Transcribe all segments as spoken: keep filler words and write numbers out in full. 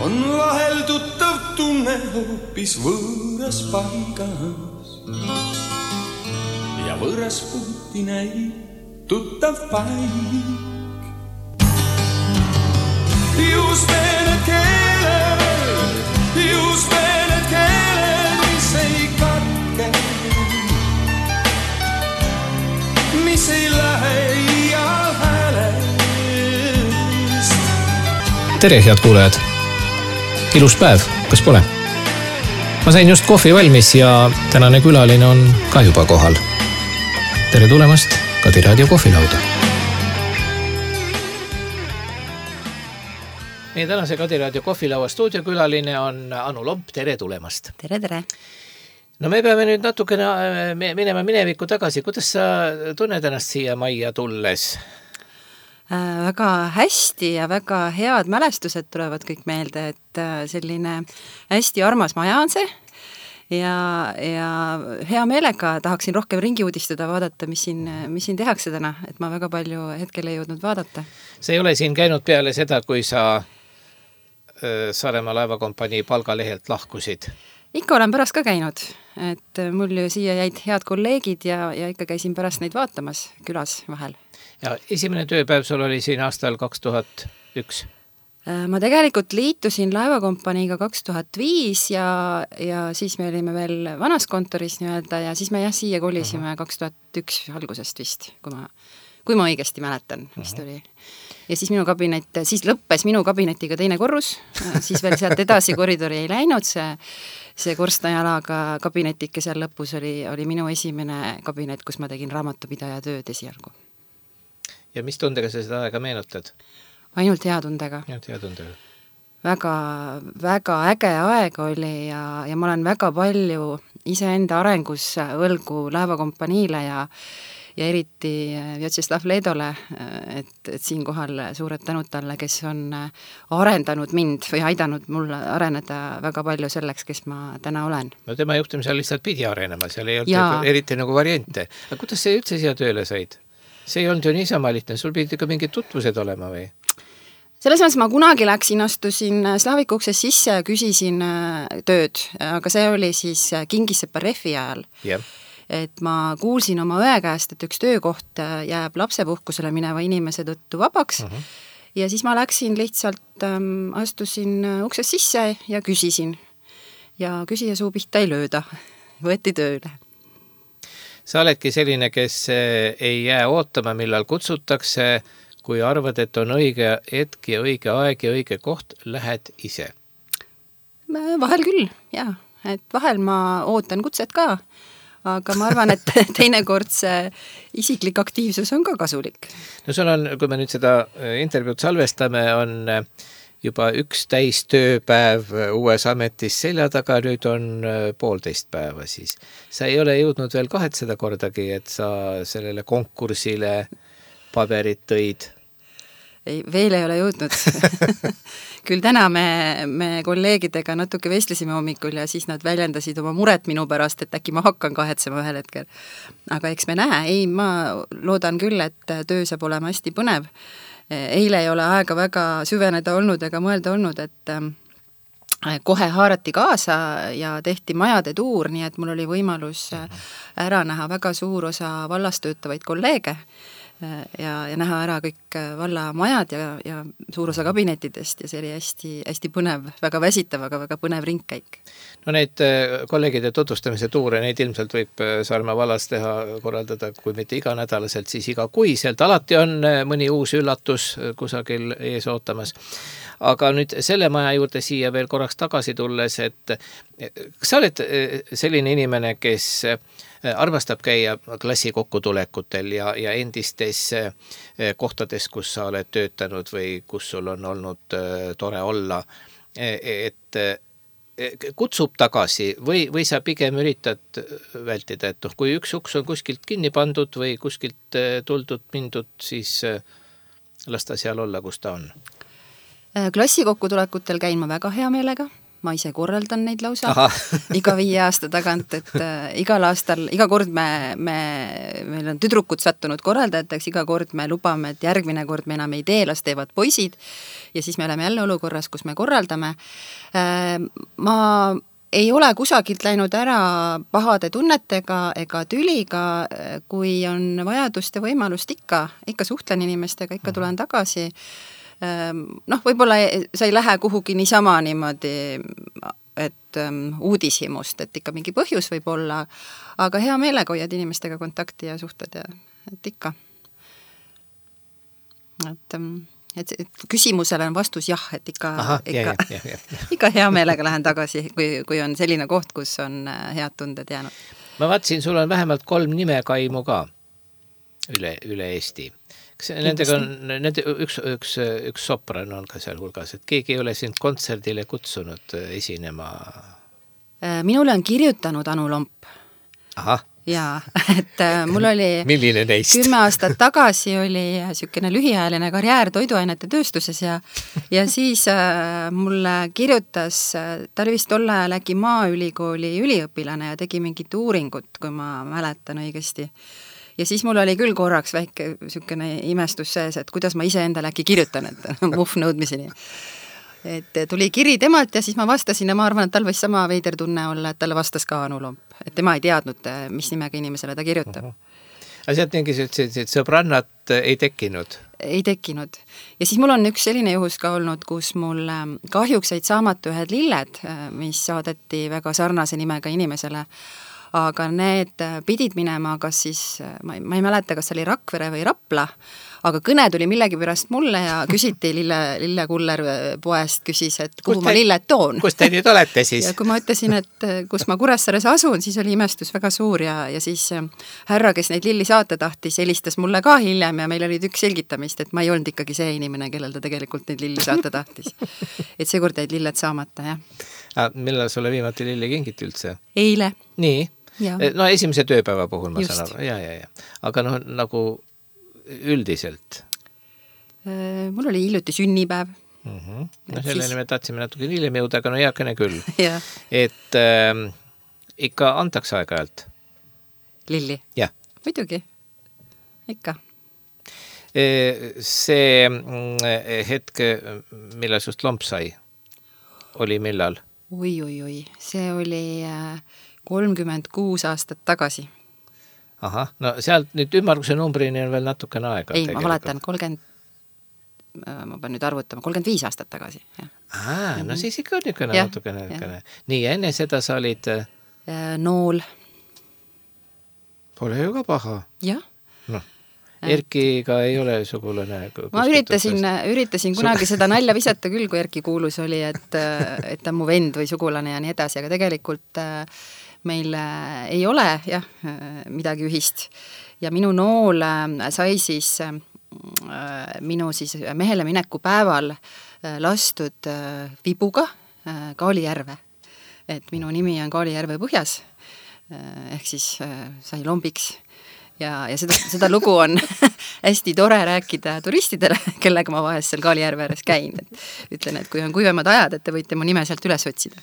on vahel tuttav tunne hoopis võõras paigas ja võõras puuti näib tuttav paik. Just need keeled, just need keeled, mis ei katke, mis ei lähe iial häälest. Tere, head kuulajad! Ilus päev, kas pole? Ma sain just kohvi valmis ja tänane külaline on ka juba kohal. Tere tulemast Kadi Raadio kohvilauda. Meie tänase Kadi Raadio kohvilaua stuudiokülaline on Anu Lomp. Tere tulemast! Tere, tere! No me peame nüüd natukene minema minevikku tagasi. Kuidas sa tunned ennast siia majja tulles? Äh, väga hästi ja väga head mälestused tulevad kõik meelde, et selline hästi armas maja on see ja, ja hea meelega tahaksin rohkem ringi uudistada, vaadata, mis siin, mis siin tehakse täna, et ma väga palju hetkel ei jõudnud vaadata. Sa ei ole siin käinud peale seda, kui sa Saaremaa laevakompanii palgalehelt lahkusid? Ikka olen pärast ka käinud, et mul ju siia jäid head kolleegid ja, ja ikka käisin pärast neid vaatamas külas vahel. Ja esimene tööpäev sul oli siin aastal kaks tuhat üks? Ma tegelikult liitusin laevakompaniiga kaks tuhat viis ja, ja siis me olime veel vanas kontoris nii-öelda ja siis me jah siia kolisime kaks tuhat üks algusest vist, kui ma, kui ma õigesti mäletan, vist oli. Ja siis minu kabinet, siis lõppes minu kabinetiga teine korrus, siis veel sealt edasi koridori ei läinud, see, see korstnajalaga kabinetike seal lõpus oli, oli minu esimene kabinet, kus ma tegin raamatupidaja tööd esialgu. Ja mis tundega sa seda aega meenutad? Ainult hea tundega. Ainult hea tundega. Väga, väga äge aeg oli ja, ja ma olen väga palju iseenda arengus võlgu laevakompaniile ja ja eriti Vjatšeslav Ledole, et, et siin kohal suured tänud talle, kes on arendanud mind või aidanud mul areneda väga palju selleks, kes ma täna olen. No tema juhtimisel lihtsalt pidi arenema, seal ei olnud ja. eriti nagu variante. Aga kuidas sa üldse siia tööle said? See ei olnud ju niisama lihtne, sul pidi ka mingid tutvused olema või? Selles mõttes ma kunagi läksin, astusin Slavik ukses sisse ja küsisin tööd, aga see oli siis Kingissepa Refi ajal. Jah. Et ma kuulsin oma õe käest, et üks töökoht jääb lapsepuhkusele mineva inimese tõttu vabaks uh-huh. ja siis ma läksin lihtsalt, ähm, astusin ukses sisse ja küsisin ja küsija suu pihta ei lööda, võeti tööle. Sa oledki selline, kes ei jää ootama, millal kutsutakse, kui arvad, et on õige hetk ja õige aeg ja õige koht, lähed ise? Vahel küll, jah, et vahel ma ootan kutset ka, aga ma arvan, et teinekord see isiklik aktiivsus on ka kasulik. No sul on, kui me nüüd seda intervjuud salvestame, on juba üks täis tööpäev uues ametis selja taga, nüüd on poolteist päeva siis. Sa ei ole jõudnud veel kahetseda kordagi, et sa sellele konkursile paberit tõid? Ei, veel ei ole jõudnud. Küll täna me, me kolleegidega natuke vestlesime hommikul ja siis nad väljendasid oma muret minu pärast, et äkki ma hakkan kahetsema ühel hetkel. Aga eks me näe, ei, ma loodan küll, et töö saab olema hästi põnev. Eile ei ole aega väga süveneda olnud ega mõelda olnud, et kohe haarati kaasa ja tehti majade tuur, nii et mul oli võimalus ära näha väga suur osa vallas töötavaid kolleege ja, ja näha ära kõik valla majad ja, ja suur osa kabinetidest ja see oli hästi, hästi põnev, väga väsitav, aga väga põnev ringkäik. No neid kolleegide tutvustamise tuure, neid ilmselt võib Saaremaa vallas teha, korraldada, kui mitte iganädalaselt, siis iga kuiselt. Alati on mõni uus üllatus kusagil ees ootamas. Aga nüüd selle maja juurde siia veel korraks tagasi tulles, et sa oled selline inimene, kes armastab käia klassi kokkutulekutel ja, ja endistes kohtades, kus sa oled töötanud või kus sul on olnud tore olla, et kutsub tagasi või, või sa pigem üritad vältida, et noh, kui üks uks on kuskilt kinni pandud või kuskilt tuldud, mindud, siis las ta seal olla, kus ta on. Klassi kokkutulekutel käin ma väga hea meelega, ma ise korraldan neid lausa Aha. iga viie aasta tagant, et äh, igal aastal, iga kord me, me, meil on tüdrukud sattunud korraldajateks, iga kord me lubame, et järgmine kord me enam ei tee, las teevad poisid ja siis me oleme jälle olukorras, kus me korraldame. Äh, ma ei ole kusagilt läinud ära pahade tunnetega ega tüliga, kui on vajadust ja võimalust ikka, ikka suhtlen inimestega, ikka tulen tagasi. Noh, võib-olla sa ei lähe kuhugi niisama niimoodi, et um, uudishimust, et ikka mingi põhjus võib olla, aga hea meelega hoiad inimestega kontakti ja suhted ja et ikka. Et, et, et küsimusele on vastus jah, et ikka, Aha, ikka, jah, jah, jah. ikka hea meelega lähen tagasi, kui, kui on selline koht, kus on head tunded jäänud. Ma vaatasin, sul on vähemalt kolm nimekaimu ka üle, üle Eesti. Nendega on, nende, üks, üks, üks sopran on ka seal hulgas, et keegi ei ole sind kontserdile kutsunud esinema? Minule on kirjutanud Anu Lomp. Aha. Jaa, et mul oli Milline neist? kümme aastat tagasi oli sükene lühiajaline karjäär toiduainete tööstuses ja, ja siis äh, mulle kirjutas, ta oli vist tolle ajal äkki Maaülikooli üliõpilane ja tegi mingit uuringut, kui ma mäletan õigesti. Ja siis mul oli küll korraks väike sükene imestus sees, et kuidas ma ise endale äkki kirjutan, et muhv nõudmiseni. Et tuli kiri temalt ja siis ma vastasin ja ma arvan, et tal võis sama veider tunne olla, et talle vastas ka Anu Lomp. Et tema ei teadnud, mis nimega inimesele ta kirjutab. Uh-huh. Aga sealt mingi sõbrannat ei tekkinud? Ei tekkinud. Ja siis mul on üks selline juhus ka olnud, kus mul kahjuks jäid saamata ühed lilled, mis saadeti väga sarnase nimega inimesele, aga need pidid minema, kas siis, ma ei, ma ei mäleta, kas oli Rakvere või Rapla, aga kõne tuli millegi pärast mulle ja küsiti Lille, Lille Kuller poest, küsis, et kuhu kus ma te, lilled toon. Kus te nüüd olete siis? Ja kui ma ütlesin, et kus ma Kuressaares asun, siis oli imestus väga suur ja, ja siis härra, kes neid lilli saata tahtis, helistas mulle ka hiljem ja meil oli tükk selgitamist, et ma ei olnud ikkagi see inimene, kellel ta tegelikult neid lilli saata tahtis. Et seekord jäid lilled saamata, jah. Ah, millal sulle viimati lilli kingiti üldse? Eile. Nii? Ja. No esimese tööpäeva puhul ma Just. saan aru. Ja, ja, ja. Aga noh, nagu üldiselt? Mul oli hiljuti sünnipäev. Mm-hmm. No selleni siis... me tahtsime natuke hiljem jõuda, aga no heakene küll. Ja. Et äh, ikka antaks aeg-ajalt? Lilli? Jah. Muidugi. Ikka. See hetk, millal sust lomp sai, oli millal? Oi, oi, oi. See oli kolmkümmend kuus aastat tagasi. Aha, no sealt nüüd ümmarguse numbrini on veel natukene aega. Ei, ma valetan, kolmkümmend, ma pean nüüd arvutama, kolmkümmend viis aastat tagasi. Jah. Aa, mm-hmm. No siis ikka niisugune ja, natukene. Ja. Nii, enne seda sa olid... Nool. Pole ju ka paha. Jah. No. Erkiga ei ole sugulane. Ma üritasin, üritasin kunagi seda nalja visata küll, kui Erki kuulus oli, et, et ta mu vend või sugulane ja nii edasi, aga tegelikult meil ei ole jah, midagi ühist. Ja minu nool sai siis minu siis mehele mineku päeval lastud vibuga Kaalijärve. Et minu nimi on Kaalijärve põhjas, ehk siis sai lombiks. Ja, ja seda, seda lugu on hästi tore rääkida turistidele, kellega ma vahest seal Kaalijärve ääres käin. Et ütlen, et kui on kuivemad ajad, et te võite mu nime sealt üles otsida.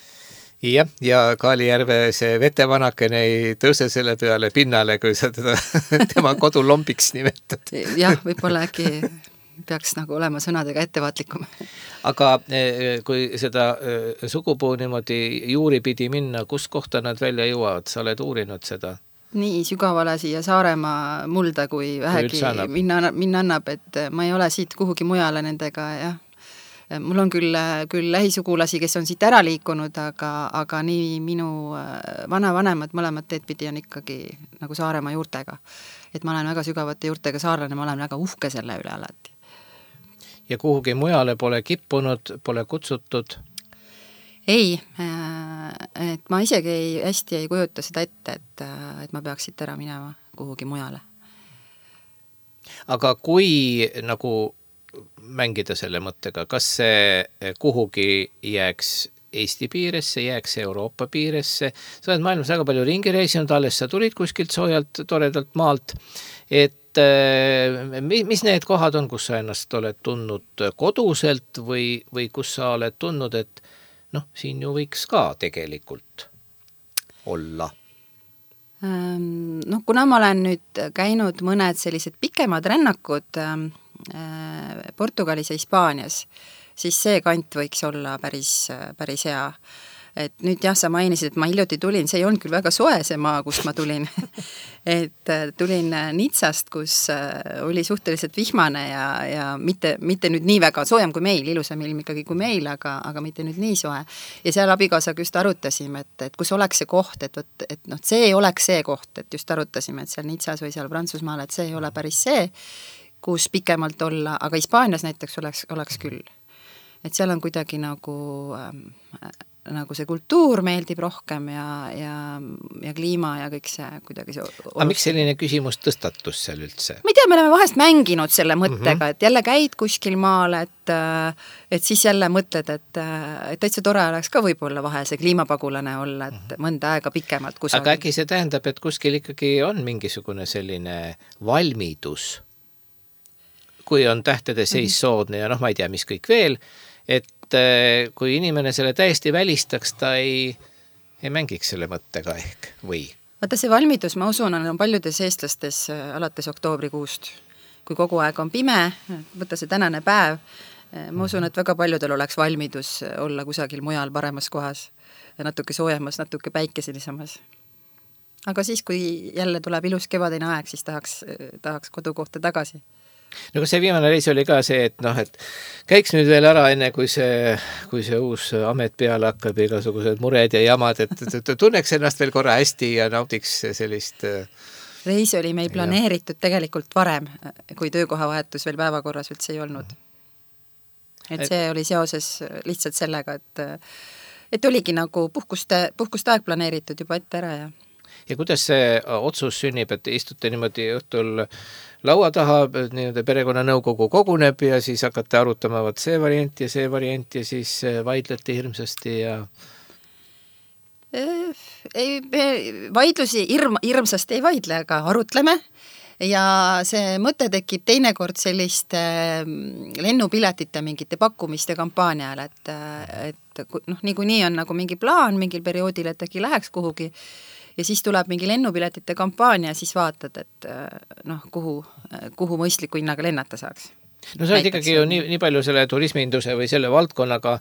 Jah, ja Kaalijärve see vetevanakene ei tõuse selle peale pinnale, kui sa teda tema kodu lombiks nimetad. Jah, võib-olla äkki peaks nagu olema sõnadega ettevaatlikum. Aga kui seda sugupuu niimoodi juuri pidi minna, kus kohta nad välja jõuavad? Sa oled uurinud seda? Nii sügavale siia Saaremaa mulda, kui vähegi minna, minna annab, et ma ei ole siit kuhugi mujale nendega, jah. Mul on küll, küll lähisugulasi, kes on siit ära liikunud, aga, aga nii minu vanavanemad mõlemad teed pidi on ikkagi nagu Saaremaa juurtega. Et ma olen väga sügavate juurtega saarlane, ma olen väga uhke selle üle alati. Ja kuhugi mujale pole kippunud, pole kutsutud? Ei, et ma isegi ei, hästi ei kujuta seda ette, et, et ma peaks siit ära minema kuhugi mujale. Aga kui nagu mängida selle mõttega, kas see kuhugi jääks Eesti piiresse, jääks Euroopa piiresse? Sa oled maailmas väga palju ringi reisinud, alles sa tulid kuskilt soojalt, toredalt maalt, et mis need kohad on, kus sa ennast oled tundnud koduselt või, või kus sa oled tundnud, et noh, siin ju võiks ka tegelikult olla. Noh, kuna ma olen nüüd käinud mõned sellised pikemad rännakud Portugalis ja Hispaanias, siis see kant võiks olla päris, päris hea. Et nüüd jah, sa mainisid, et ma hiljuti tulin, see ei olnud küll väga soe see maa, kust ma tulin. et tulin Nitsast, kus oli suhteliselt vihmane ja, ja mitte, mitte nüüd nii väga soojem kui meil, ilusam ilm ikkagi kui meil, aga, aga mitte nüüd nii soe. Ja seal abikaasaga just arutasime, et, et kus oleks see koht, et, et, et noh, see ei oleks see koht, et just arutasime, et seal Nitsas või seal Prantsusmaal, et see ei ole päris see, kus pikemalt olla, aga Hispaanias näiteks oleks, oleks küll. Et seal on kuidagi nagu äh, nagu see kultuur meeldib rohkem ja, ja, ja kliima ja kõik see kuidagi see... Aga miks selline küsimus tõstatus seal üldse? Ma ei tea, me oleme vahest mänginud selle mõttega, mm -hmm. et jälle käid kuskil maal, et, et siis jälle mõtled, et, et täitsa tore oleks ka võib-olla vahel see kliimapagulane olla, et mõnda aega pikemalt kusagil. Aga äkki see tähendab, et kuskil ikkagi on mingisugune selline valmidus, kui on tähtede seis mm -hmm. soodne ja noh, ma ei tea, mis kõik veel, et kui inimene selle täiesti välistaks, ta ei, ei mängiks selle mõttega ehk või? Vaata see valmidus, ma usun, on paljudes eestlastes alates oktoobrikuust, kui kogu aeg on pime, võtta see tänane päev, ma usun, et väga paljudel oleks valmidus olla kusagil mujal paremas kohas, natuke soojemas, natuke päikeselisemas. Aga siis, kui jälle tuleb ilus kevadine aeg, siis tahaks, tahaks kodukohta tagasi. No kas see viimane reis oli ka see, et noh, et käiks nüüd veel ära enne, kui see, kui see uus amet peale hakkab, igasugused mured ja jamad, et tunneks ennast veel korra hästi ja naudiks sellist... Reis oli meil planeeritud ja. Tegelikult varem, kui töökohavahetus veel päevakorras üldse ei olnud. Et see oli seoses lihtsalt sellega, et, et oligi nagu puhkuste, puhkuste aeg planeeritud juba ette ära ja... Ja kuidas see otsus sünnib, et istute niimoodi õhtul laua taha, nii-öelda perekonnanõukogu koguneb ja siis hakate arutama võt see variant ja see variant ja siis vaidlete hirmsasti ja... Ei, vaidlusi hirm, hirmsasti ei vaidle, aga arutleme ja see mõte tekib teinekord selliste lennupiletite mingite pakkumiste kampaanial, et, et noh, niikuinii on nagu mingi plaan mingil perioodil, et äkki läheks kuhugi ja siis tuleb mingi lennupiletite kampaania ja siis vaatad, et noh, kuhu, kuhu mõistliku hinnaga lennata saaks. No sa oled ikkagi ju nii, nii palju selle turisminduse või selle valdkonnaga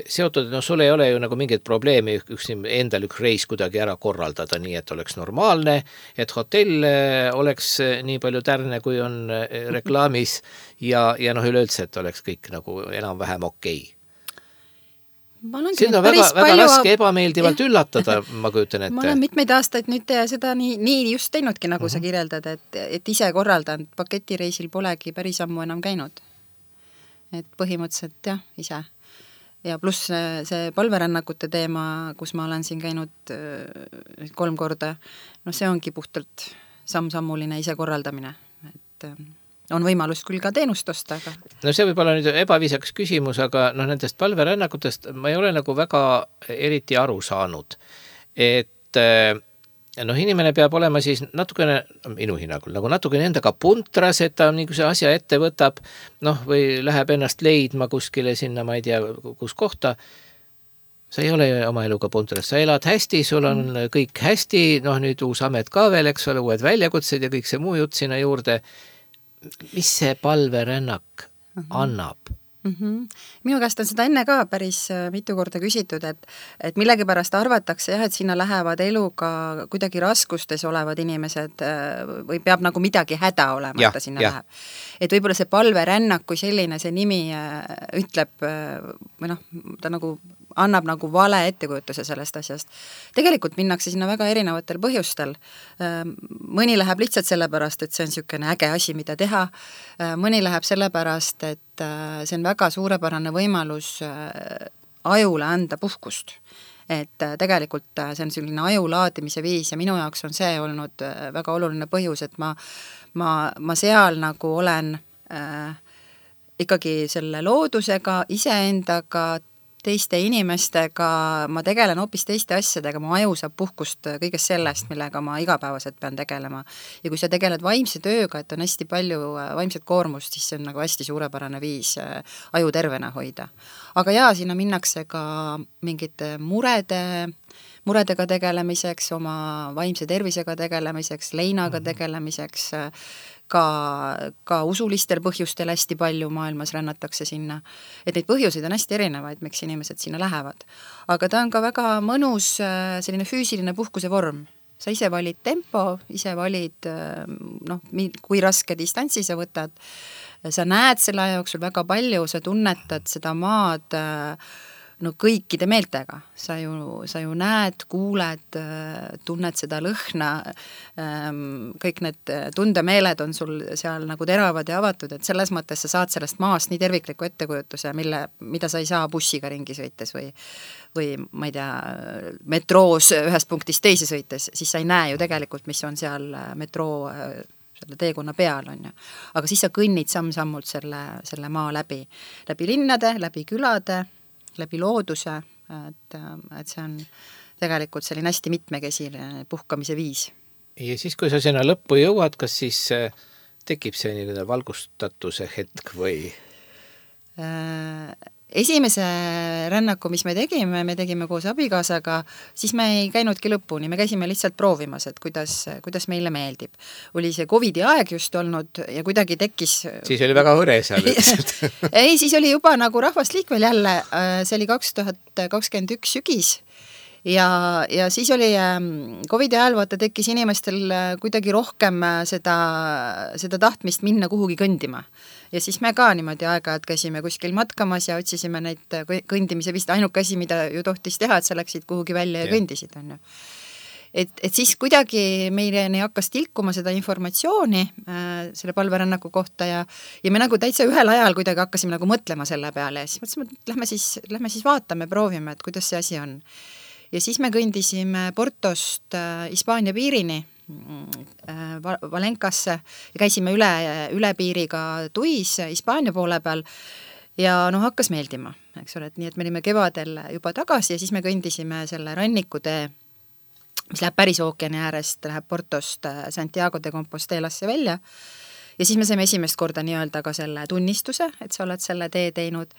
seotud, no sul ei ole ju nagu mingit probleemi üks endal üks reis kuidagi ära korraldada nii, et oleks normaalne, et hotell oleks nii palju tärne, kui on reklaamis ja, ja noh, üleüldse, et oleks kõik nagu enam-vähem okei. Okay. Siin on väga, väga palju... raske ebameeldivalt ja. Üllatada, ma kujutan ette. Ma olen mitmeid aastaid nüüd seda nii, nii just teinudki, nagu uh-huh. sa kirjeldad, et, et ise korraldanud paketireisil polegi päris ammu enam käinud. Et põhimõtteliselt jah, ise. Ja pluss see palverännakute teema, kus ma olen siin käinud kolm korda, no see ongi puhtalt samm-sammuline ise korraldamine. Et... on võimalus küll ka teenust osta, aga... No see võib olla nüüd ebaviisakas küsimus, aga noh, nendest palverännakutest ma ei ole nagu väga eriti aru saanud. Et noh, inimene peab olema siis natukene, minu hinnangul, nagu natukene endaga puntras, et ta nagu see asja ette võtab, noh, või läheb ennast leidma kuskile sinna, ma ei tea, kus kohta. Sa ei ole oma eluga puntras, sa elad hästi, sul on mm. kõik hästi, noh, nüüd uus amet ka veel, eks ole, uued väljakutsed ja kõik see muu jutt sinna juurde. Mis see palverännak uh-huh. annab? Uh-huh. Minu käest on seda enne ka päris mitu korda küsitud, et, et millegipärast arvatakse jah, et sinna lähevad eluga kuidagi raskustes olevad inimesed või peab nagu midagi häda olema, ja, et ta sinna ja. läheb. Et võib-olla see palverännak kui selline, see nimi ütleb, või noh, ta nagu annab nagu vale ettekujutuse sellest asjast. Tegelikult minnakse sinna väga erinevatel põhjustel. Mõni läheb lihtsalt sellepärast, et see on niisugune äge asi, mida teha. Mõni läheb sellepärast, et see on väga suurepärane võimalus ajule anda puhkust. Et tegelikult see on selline aju laadimise viis ja minu jaoks on see olnud väga oluline põhjus, et ma, ma, ma seal nagu olen äh, ikkagi selle loodusega, iseendaga, teiste inimestega, ma tegelen hoopis teiste asjadega, mu aju saab puhkust kõigest sellest, millega ma igapäevaselt pean tegelema. Ja kui sa tegeled vaimse tööga, et on hästi palju vaimset koormust, siis see on nagu hästi suurepärane viis aju tervena hoida. Aga jaa, sinna minnakse ka mingite murede, muredega tegelemiseks, oma vaimse tervisega tegelemiseks, leinaga tegelemiseks, ka, ka usulistel põhjustel hästi palju maailmas rännatakse sinna. Et neid põhjuseid on hästi erinevaid, miks inimesed sinna lähevad. Aga ta on ka väga mõnus selline füüsiline puhkuse vorm. Sa ise valid tempo, ise valid, noh, kui raske distantsi sa võtad. Sa näed selle jooksul väga palju, sa tunnetad seda maad no kõikide meeltega. Sa ju, sa ju näed, kuuled, tunned seda lõhna, kõik need tundemeeled on sul seal nagu teravad ja avatud, et selles mõttes sa saad sellest maast nii tervikliku ettekujutuse, mille, mida sa ei saa bussiga ringi sõites või, või ma ei tea, metroos ühest punktist teise sõites, siis sa ei näe ju tegelikult, mis on seal metroo selle teekonna peal on ju. Aga siis sa kõnnid samm-sammult selle, selle maa läbi. Läbi linnade, läbi külade, läbi looduse, et, et see on tegelikult selline hästi mitmekesine puhkamise viis. Ja siis, kui sa sinna lõppu jõuad, kas siis tekib see nii valgustatuse hetk või? Esimese rännaku, mis me tegime, me tegime koos abikaasaga, siis me ei käinudki lõpuni, me käisime lihtsalt proovimas, et kuidas, kuidas meile meeldib. Oli see Covidi aeg just olnud ja kuidagi tekkis... Siis oli väga hõre seal. Ei, siis oli juba nagu rahvast liikvel jälle, see oli kaks tuhat kakskümmend üks sügis ja, ja siis oli Covidi ajal vaata tekkis inimestel kuidagi rohkem seda, seda tahtmist minna kuhugi kõndima. Ja siis me ka niimoodi aega-ajalt käisime kuskil matkamas ja otsisime neid kõndimise vist ainuke asi, mida ju tohtis teha, et sa läksid kuhugi välja ja, ja kõndisid. On ju. Et, et siis kuidagi meile hakkas tilkuma seda informatsiooni äh, selle palverännaku kohta ja, ja me nagu täitsa ühel ajal kuidagi hakkasime nagu mõtlema selle peale ja siis mõtlesime, et lähme siis, lähme siis vaatame, proovime, et kuidas see asi on. Ja siis me kõndisime Portost äh, Hispaania piirini Valenkasse ja käisime üle, üle piiriga Tuis Hispaania poole peal ja noh, hakkas meeldima, eks ole, et nii, et me olime kevadel juba tagasi ja siis me kõndisime selle rannikutee, mis läheb päris ookeani äärest, läheb Portost Santiago de Compostelasse välja ja siis me saime esimest korda nii-öelda ka selle tunnistuse, et sa oled selle tee teinud.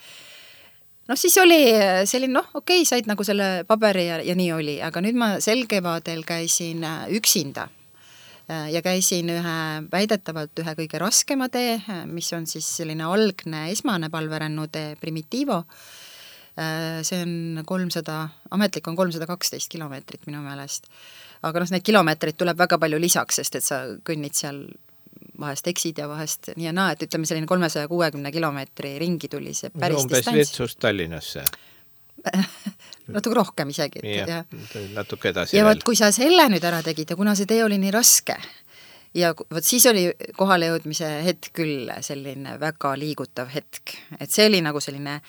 Noh, siis oli selline, noh, okei, okay, said nagu selle paberi ja, ja nii oli, aga nüüd ma sel kevadel käisin üksinda ja käisin ühe, väidetavalt ühe kõige raskema tee, mis on siis selline algne esmane palverännutee Primitivo. See on kolmsada, ametlik on kolmsada kaksteist kilomeetrit minu meelest. Aga noh, need kilomeetrid tuleb väga palju lisaks, sest et sa kõnnid seal vahest eksid ja vahest nii ja naa, et ütleme selline kolmesaja kuuekümne kilomeetri ringi tuli see päris umbes distants. Umbes Virtsust Tallinnasse. Natuke rohkem isegi. Ja, ja. Natuke edasi ja veel. Võt, kui sa selle nüüd ära tegid ja kuna see tee oli nii raske ja võt, siis oli kohale jõudmise hetk küll selline väga liigutav hetk. Et see oli nagu selline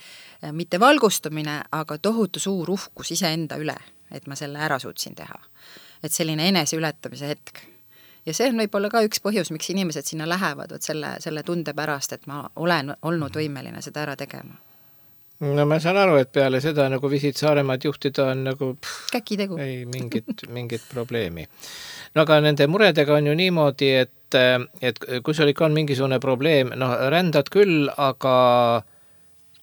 mitte valgustumine, aga tohutu suur uhkus iseenda üle, et ma selle ära suutsin teha. Et selline enese ületamise hetk. Ja see on võib-olla ka üks põhjus, miks inimesed sinna lähevad, võt selle, selle tunde pärast, et ma olen olnud võimeline seda ära tegema. No ma saan aru, et peale seda nagu Visit Saaremaad juhtida on nagu pff, käkitegu. Ei mingit, mingit probleemi. No aga nende muredega on ju niimoodi, et, et kui sul ikka on mingisugune probleem, noh rändad küll, aga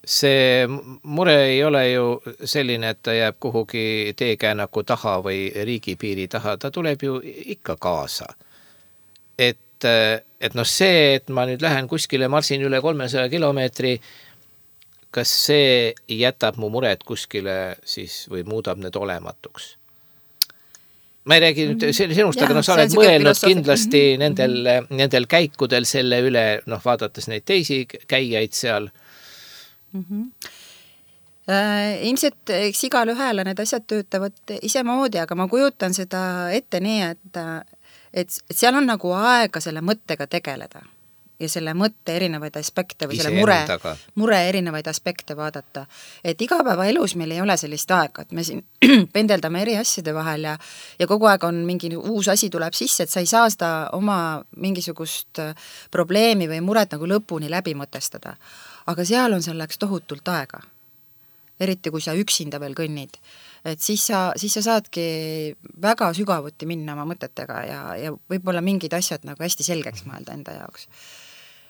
see mure ei ole ju selline, et ta jääb kuhugi teekäänaku taha või riigipiiri taha, ta tuleb ju ikka kaasa. Et, et noh see, et ma nüüd lähen kuskile, marsin üle kolmesaja kilomeetri, kas see jätab mu mured kuskile siis või muudab need olematuks? Ma ei räägi nüüd sinust, aga noh, sa oled mõelnud kindlasti mm -hmm. nendel, nendel käikudel selle üle, noh, vaadates neid teisi käijaid seal. Mm -hmm. äh, ilmselt eks igal ühele need asjad töötavad ise moodi, aga ma kujutan seda ette nii, et, et, et seal on nagu aega selle mõttega tegeleda ja selle mõtte erinevaid aspekte või ise selle mure, endaga. mure erinevaid aspekte vaadata. Et igapäeva elus meil ei ole sellist aega, et me siin pendeldame eri asjade vahel ja, ja kogu aeg on mingi uus asi tuleb sisse, et sa ei saa seda oma mingisugust probleemi või muret nagu lõpuni läbi mõtestada. Aga seal on selleks tohutult aega. eriti kui sa üksinda veel kõnnid, et siis sa, siis sa saadki väga sügavuti minna oma mõtetega ja, ja võib-olla mingid asjad nagu hästi selgeks mõelda enda jaoks.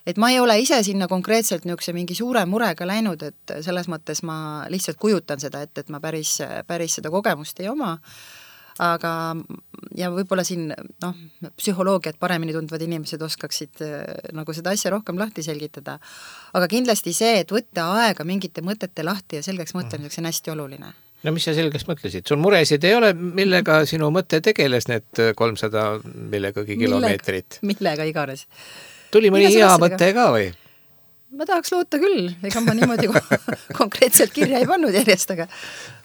Et ma ei ole ise sinna konkreetselt niisuguse mingi suure murega läinud, et selles mõttes ma lihtsalt kujutan seda, et, et ma päris, päris seda kogemust ei oma, aga ja võib-olla siin noh, psühholoogiat paremini tundvad inimesed oskaksid nagu seda asja rohkem lahti selgitada, aga kindlasti see, et võtta aega mingite mõtete lahti ja selgeks mõtlemiseks on hästi oluline. No mis sa selgeks mõtlesid? Sul muresid ei ole, millega sinu mõte tegeles need kolmsada millegagi kilomeetrit? Millega, millega iganes. Tuli mõni hea mõte ka või? Ma tahaks loota küll, ega ma niimoodi konkreetselt kirja ei pannud järjest, aga,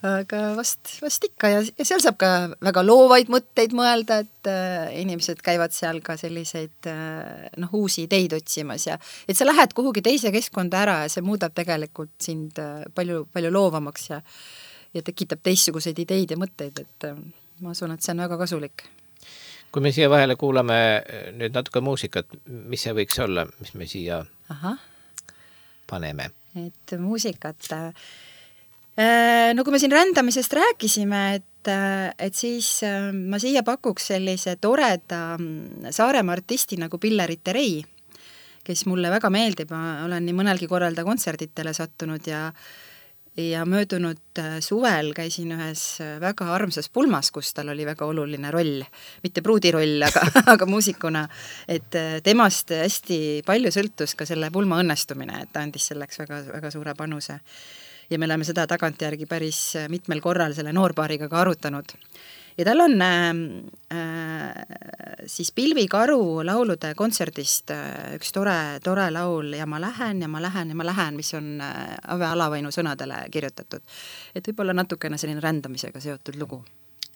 aga vast, vast ikka ja, ja seal saab ka väga loovaid mõtteid mõelda, et äh, inimesed käivad seal ka selliseid äh, noh, uusi ideid otsimas ja et sa lähed kuhugi teise keskkonda ära ja see muudab tegelikult sind äh, palju, palju loovamaks ja, ja tekitab teistsuguseid ideid ja mõtteid, et äh, ma usun, et see on väga kasulik. Kui me siia vahele kuulame nüüd natuke muusikat, mis see võiks olla, mis me siia Aha. paneme? Et muusikat, äh, no kui me siin rändamisest rääkisime, et, et siis ma siia pakuks sellise toreda Saaremaa artisti nagu Pille Riterei, kes mulle väga meeldib, ma olen nii mõnelgi korral ta kontserditele sattunud ja ja möödunud suvel käisin ühes väga armsas pulmas, kus tal oli väga oluline roll, mitte pruudi roll, aga, aga muusikuna, et temast hästi palju sõltus ka selle pulma õnnestumine, et ta andis selleks väga, väga suure panuse. Ja me oleme seda tagantjärgi päris mitmel korral selle noorpaariga ka arutanud. Ja tal on äh, siis Pilvi Karu laulude kontserdist äh, üks tore, tore laul Ja ma lähen, ja ma lähen, ja ma lähen, mis on äh, Ave Alavainu sõnadele kirjutatud. Et võib-olla natukene selline rändamisega seotud lugu.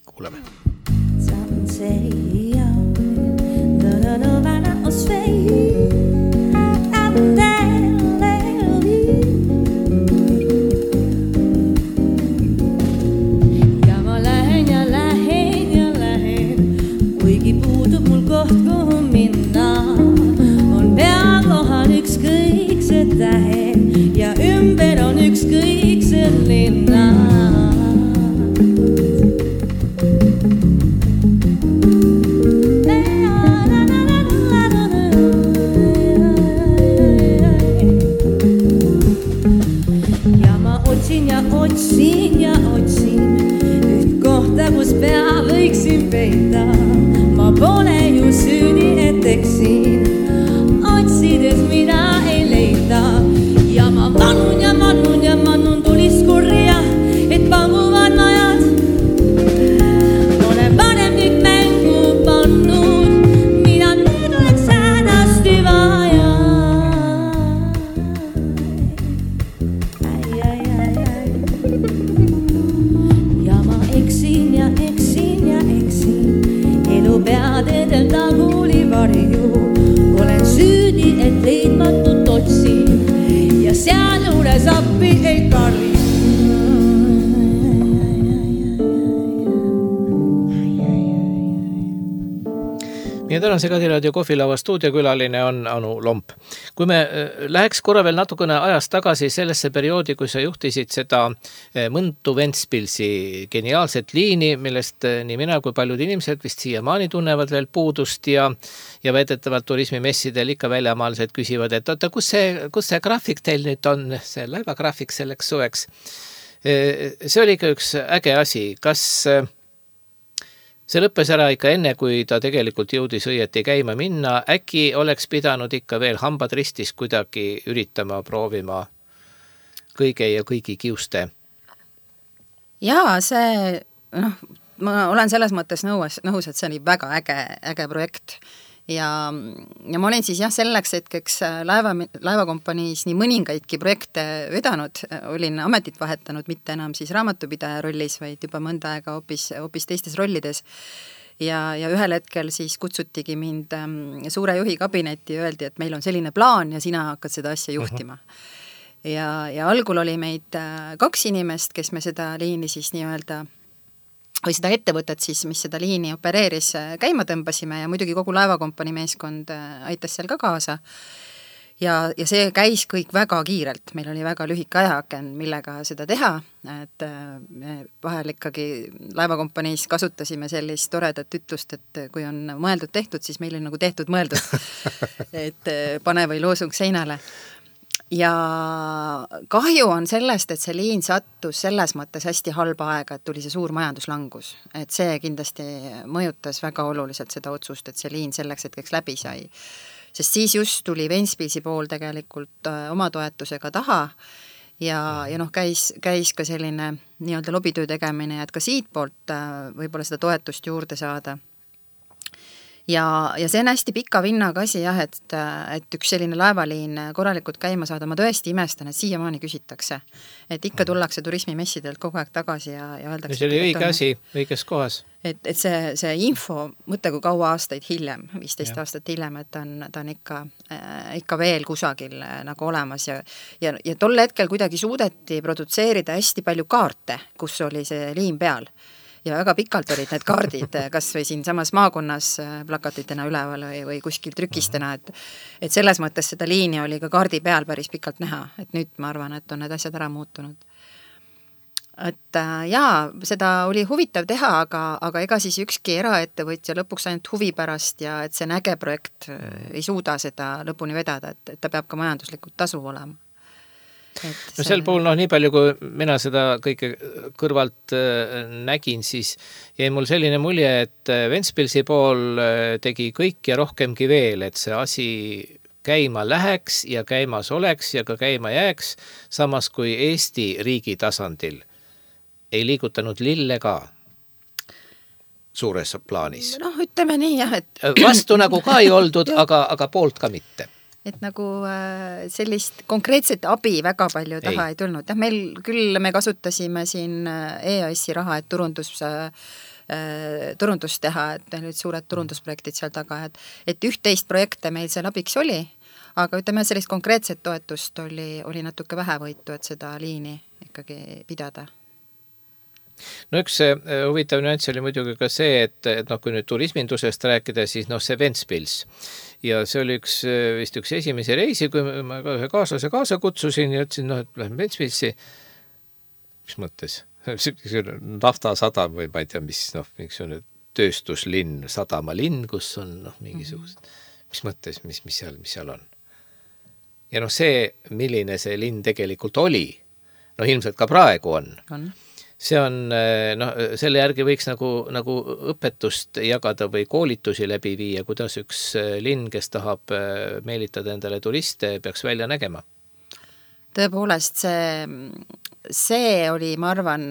Kuuleme. Ja ymber on ykskõiksen linna. Ja ma otsin ja otsin ja otsin üht kohta, kus pea võiksin peita. Ma pole ju süüdi, et eksin, otsides mida ei leida. Ja ma vanun ja vanun ja vanun tulis kurja, et panguvad najad. Olen vanem kõik mängu pannud, mida nüüd oleks hädasti vaja. Ai, ai, ai, ai. Ja ma eksin ja eksin ja eksin, elu peadedel taguli varju. Olen süüdi, et leidmatut otsin ja seal juures appi ei karri. Meie tänase Kadiraadio kohvilava stuudiokülaline on Anu Lomp. Kui me läheks korra veel natukene ajas tagasi sellesse perioodi, kui sa juhtisid seda Mõntu-Ventspilsi geniaalset liini, millest nii mina kui paljud inimesed vist siiamaani tunnevad veel puudust ja, ja väidetavalt turismimessidel ikka väljamaalised küsivad, et oota, kus see, kus see graafik teil nüüd on, see laevagraafik selleks suveks. See oli ikka üks äge asi. Kas see lõppes ära ikka enne, kui ta tegelikult jõudis õieti käima minna? Äkki oleks pidanud ikka veel hambad ristis kuidagi üritama, proovima kõige ja kõigi kiuste? Jaa, see, noh, ma olen selles mõttes nõus, nõus, et see oli väga äge, äge projekt. Ja, ja ma olin siis jah selleks hetkeks laeva, laevakompaniis nii mõningaidki projekte vedanud, olin ametit vahetanud, mitte enam siis raamatupidaja rollis, vaid juba mõnda aega hoopis, hoopis teistes rollides. Ja, ja ühel hetkel siis kutsutigi mind suure juhi kabinetti ja öeldi, et meil on selline plaan ja sina hakkad seda asja juhtima. Uh-huh. Ja, ja algul oli meid kaks inimest, kes me seda liini siis nii-öelda või seda ettevõtet siis, mis seda liini opereeris, käima tõmbasime ja muidugi kogu laevakompani meeskond aitas seal ka kaasa. ja, ja see käis kõik väga kiirelt, meil oli väga lühike ajaaken, millega seda teha, et me vahel ikkagi laevakompaniis kasutasime sellist toredat ütlust, et kui on mõeldud tehtud, siis meil on nagu tehtud mõeldud, et pane või loosung seinale. Ja kahju on sellest, et see liin sattus selles mõttes hästi halba aega, et tuli see suur majanduslangus. Et see kindlasti mõjutas väga oluliselt seda otsust, et see liin selleks hetkeks läbi sai. Sest siis just tuli Ventspilsi pool tegelikult oma toetusega taha ja, ja noh, käis, käis ka selline nii-öelda lobitöö tegemine, et ka siit poolt võib-olla seda toetust juurde saada. Ja, ja see on hästi pika vinnaga asi jah, et, et üks selline laevaliin korralikult käima saada, ma tõesti imestan, et siiamaani küsitakse. Et ikka tullakse turismimessidelt kogu aeg tagasi ja, ja öeldakse... See oli õige asi, õiges kohas. Et, et see, see info, mõtle kui kaua aastaid hiljem, viisteist ja. Aastat hiljem, et ta on, ta on ikka, äh, ikka veel kusagil äh, nagu olemas ja, ja, ja tol hetkel kuidagi suudeti produtseerida hästi palju kaarte, kus oli see liin peal. Ja väga pikalt olid need kaardid, kas või siin samas maakonnas plakatitena üleval või, või kuskil trükistena, et, et selles mõttes seda liini oli ka kaardi peal päris pikalt näha, et nüüd ma arvan, et on need asjad ära muutunud. Et jaa, seda oli huvitav teha, aga, aga ega siis ükski eraettevõtja lõpuks ainult huvi pärast ja et see näge projekt ei suuda seda lõpuni vedada, et, et ta peab ka majanduslikult tasu olema. No sel puhul, noh, nii palju, kui mina seda kõike kõrvalt nägin, siis jäi mul selline mulje, et Ventspilsi pool tegi kõik ja rohkemgi veel, et see asi käima läheks ja käimas oleks ja ka käima jääks, samas kui Eesti riigi tasandil ei liigutanud lille ka suures plaanis. Noh, ütleme nii, jah, et... Vastu nagu ka ei oldud, aga, aga poolt ka mitte. Et nagu sellist konkreetset abi väga palju taha ei, ei tulnud. Ja meil küll me kasutasime siin E A S-i raha, et turundus, turundus teha, et meil olid suured turundusprojektid seal taga, et, et üht-teist projekte meil seal abiks oli, aga ütleme, sellist konkreetset toetust oli, oli natuke vähe võitu, et seda liini ikkagi pidada. No üks huvitav nüanss oli muidugi ka see, et, et noh, kui nüüd turismindusest rääkida, siis noh, see Ventspils. Ja see oli üks, vist üks esimese reisi, kui ma ühe kaaslase kaasa kutsusin ja ütlesin, noh, et lähen Ventspilsi. Mis mõttes? Naftasadam või ma ei tea, mis, noh, miks on tööstuslinn, sadamalinn, kus on noh, mingisugused. Mis mõttes, mis, mis, seal, mis seal on? Ja noh, see, milline see linn tegelikult oli, noh, ilmselt ka praegu on. On. See on, noh, selle järgi võiks nagu, nagu õpetust jagada või koolitusi läbi viia, kuidas üks linn, kes tahab meelitada endale turiste, peaks välja nägema. Tõepoolest, see, see oli, ma arvan,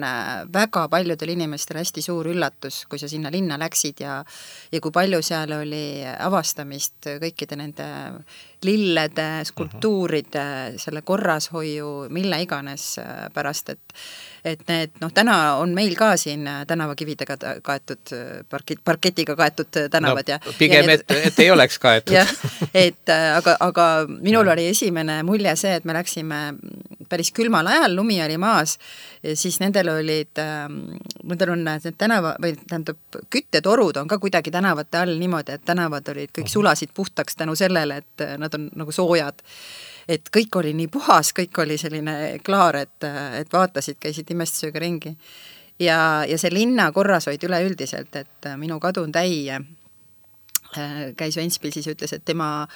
väga paljudel inimestel hästi suur üllatus, kui sa sinna linna läksid ja, ja kui palju seal oli avastamist kõikide nende lillede, skulptuuride, selle korrashoiu, mille iganes pärast, et et need, noh, täna on meil ka siin tänavakividega kaetud, parkit, parketiga kaetud tänavad. No, ja, pigem, ja need, et, et ei oleks kaetud. Ja, et, aga, aga minul oli esimene mulje see, et me läksime päris külmal ajal, lumi oli maas, siis nendel olid, nendel on need tänava, või tähendab, küttetorud on ka kuidagi tänavate all niimoodi, et tänavad olid, kõik sulasid puhtaks tänu sellele, et nad on nagu soojad. Et kõik oli nii puhas, kõik oli selline klaar, et, et vaatasid, käisid imestusega ringi. Ja, ja see linna korras hoid üleüldiselt, et minu kadun täie käis Ventspilsis ja ütles, et tema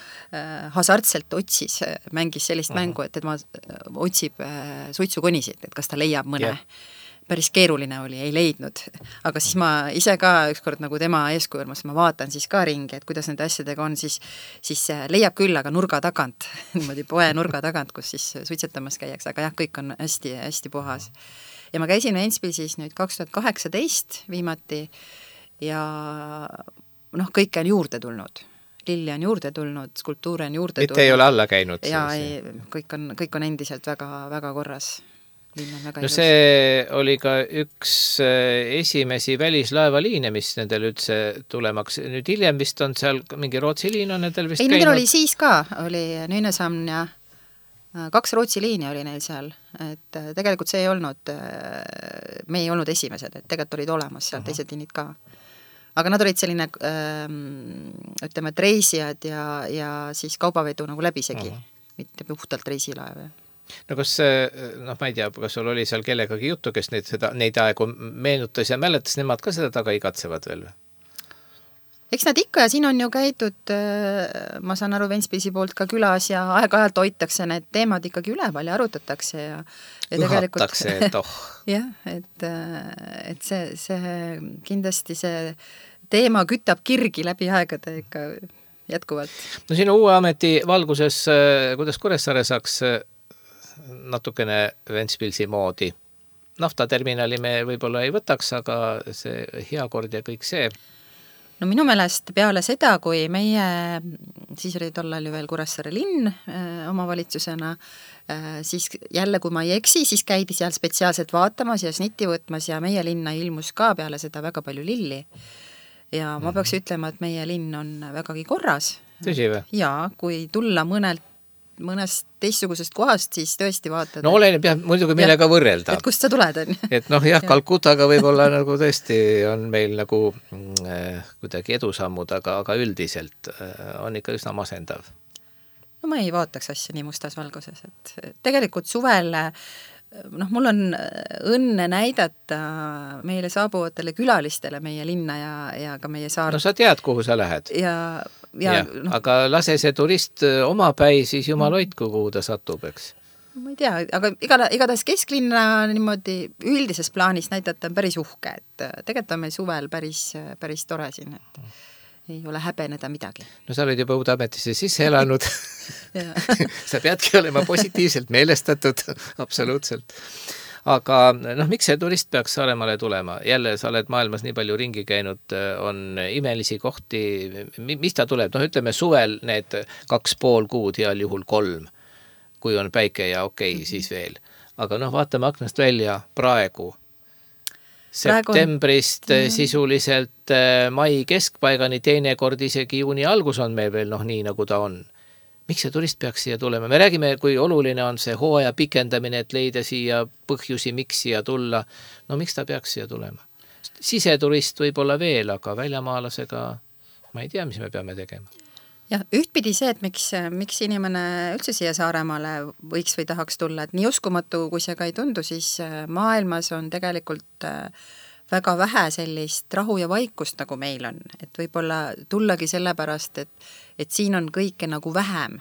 hasartselt otsis, mängis sellist uh-huh. mängu, et tema otsib suitsukonisid, et kas ta leiab mõne. Yeah. Päris keeruline oli, ei leidnud. Aga siis ma ise ka ükskord nagu tema eeskujulmas, ma vaatan siis ka ringi, et kuidas nende asjadega on, siis, siis leiab küll, aga nurga tagant, niimoodi poe nurga tagant, kus siis suitsetamas käiaks, aga jah, kõik on hästi, hästi puhas. Ja ma käisin Ventspilsis nüüd kaks tuhat kaheksateist viimati ja noh, kõike on juurde tulnud. Lilli on juurde tulnud, skulptuure on juurde tulnud. Mitte ei ole alla käinud. Ja ei, kõik, on, kõik on endiselt väga, väga korras. No see oli ka üks esimesi välislaevaliine, mis nendel üldse tulemaks. Nüüd hiljem vist on seal mingi Rootsi liin on nendel vist ei, käinud. Ei, nendel oli siis ka, oli Nynäshamn ja kaks Rootsi liini oli neil seal. Et tegelikult see ei olnud, me ei olnud esimesed, et tegelikult olid olemas seal uh-huh. teised liinid ka. Aga nad olid selline, ütleme, et reisijad ja, ja siis kaubavedu nagu läbisegi. Uh-huh. mitte puhtalt reisilaev. No kas, noh ma ei tea, kas sul oli seal kellegagi juttu, kes neid, seda, neid aegu meenutas ja mäletas, nemad ka seda taga igatsevad veel? Eks nad ikka ja siin on ju käidud, ma saan aru, Ventspilsi poolt ka külas ja aeg-ajalt hoitakse need teemad ikkagi üleval ja arutatakse ja, ja õhatakse, et oh. jah, et, et see, see kindlasti see teema kütab kirgi läbi aegade ikka jätkuvalt. No sinu uue ameti valguses, kuidas Kuressaare saaks natukene Ventspilsi moodi? Naftaterminali me võib-olla ei võtaks, aga see heakord ja kõik see. No minu meelest peale seda, kui meie, siis oli tollal ju veel Kuressaare linn äh, omavalitsusena, äh, siis jälle, kui ma ei eksi, siis käidi seal spetsiaalselt vaatamas ja snitti võtmas ja meie linna ilmus ka peale seda väga palju lilli. Ja ma peaks ütlema, et meie linn on vägagi korras. Tõsi või? Ja kui tulla mõnelt mõnest teistsugusest kohast, siis tõesti vaatad. No oleneb jah, muidugi millega ja, võrrelda. Et kust sa tuled, on? Et noh, jah, Kalkutaga võib-olla nagu tõesti on meil nagu äh, kuidagi edusammud, aga, aga üldiselt äh, on ikka üsna masendav. No ma ei vaataks asja nii mustas valguses, et tegelikult suvel, noh, mul on õnne näidata meile saabuvatele külalistele meie linna ja, ja ka meie saar. No sa tead, kuhu sa lähed. Ja Ja, ja, no, aga lase see turist omapäi, siis jumal hoidku, kuhu ta satub, eks? Ma ei tea, aga igatahes, igatahes kesklinna niimoodi üldises plaanis näidata on päris uhke, et tegelikult on meil suvel päris, päris tore siin, et ei ole häbeneda midagi. No sa oled juba uude ametisse sisse elanud. Sa peadki olema positiivselt meelestatud, absoluutselt. Aga noh, miks see turist peaks Saaremaale tulema? Jälle sa oled maailmas nii palju ringi käinud, on imelisi kohti, mis ta tuleb? Noh, ütleme suvel need kaks pool kuud, heal juhul kolm, kui on päike ja okei, okay, siis veel. Aga noh, vaatame aknast välja praegu. Septembrist praegu... sisuliselt mai keskpaigani, teine kord isegi juuni algus on meil veel noh nii, nagu ta on. Miks see turist peaks siia tulema? Me räägime, kui oluline on see hooaja pikendamine, et leida siia põhjusi, miks siia tulla. No miks ta peaks siia tulema? Siseturist võib olla veel, aga väljamaalasega ma ei tea, mis me peame tegema. Ja ühtpidi see, et miks, miks inimene üldse siia Saaremaale võiks või tahaks tulla, et nii uskumatu, kui see ka ei tundu, siis maailmas on tegelikult väga vähe sellist rahu ja vaikust, nagu meil on. Et võib-olla tullagi sellepärast, et, et siin on kõike nagu vähem,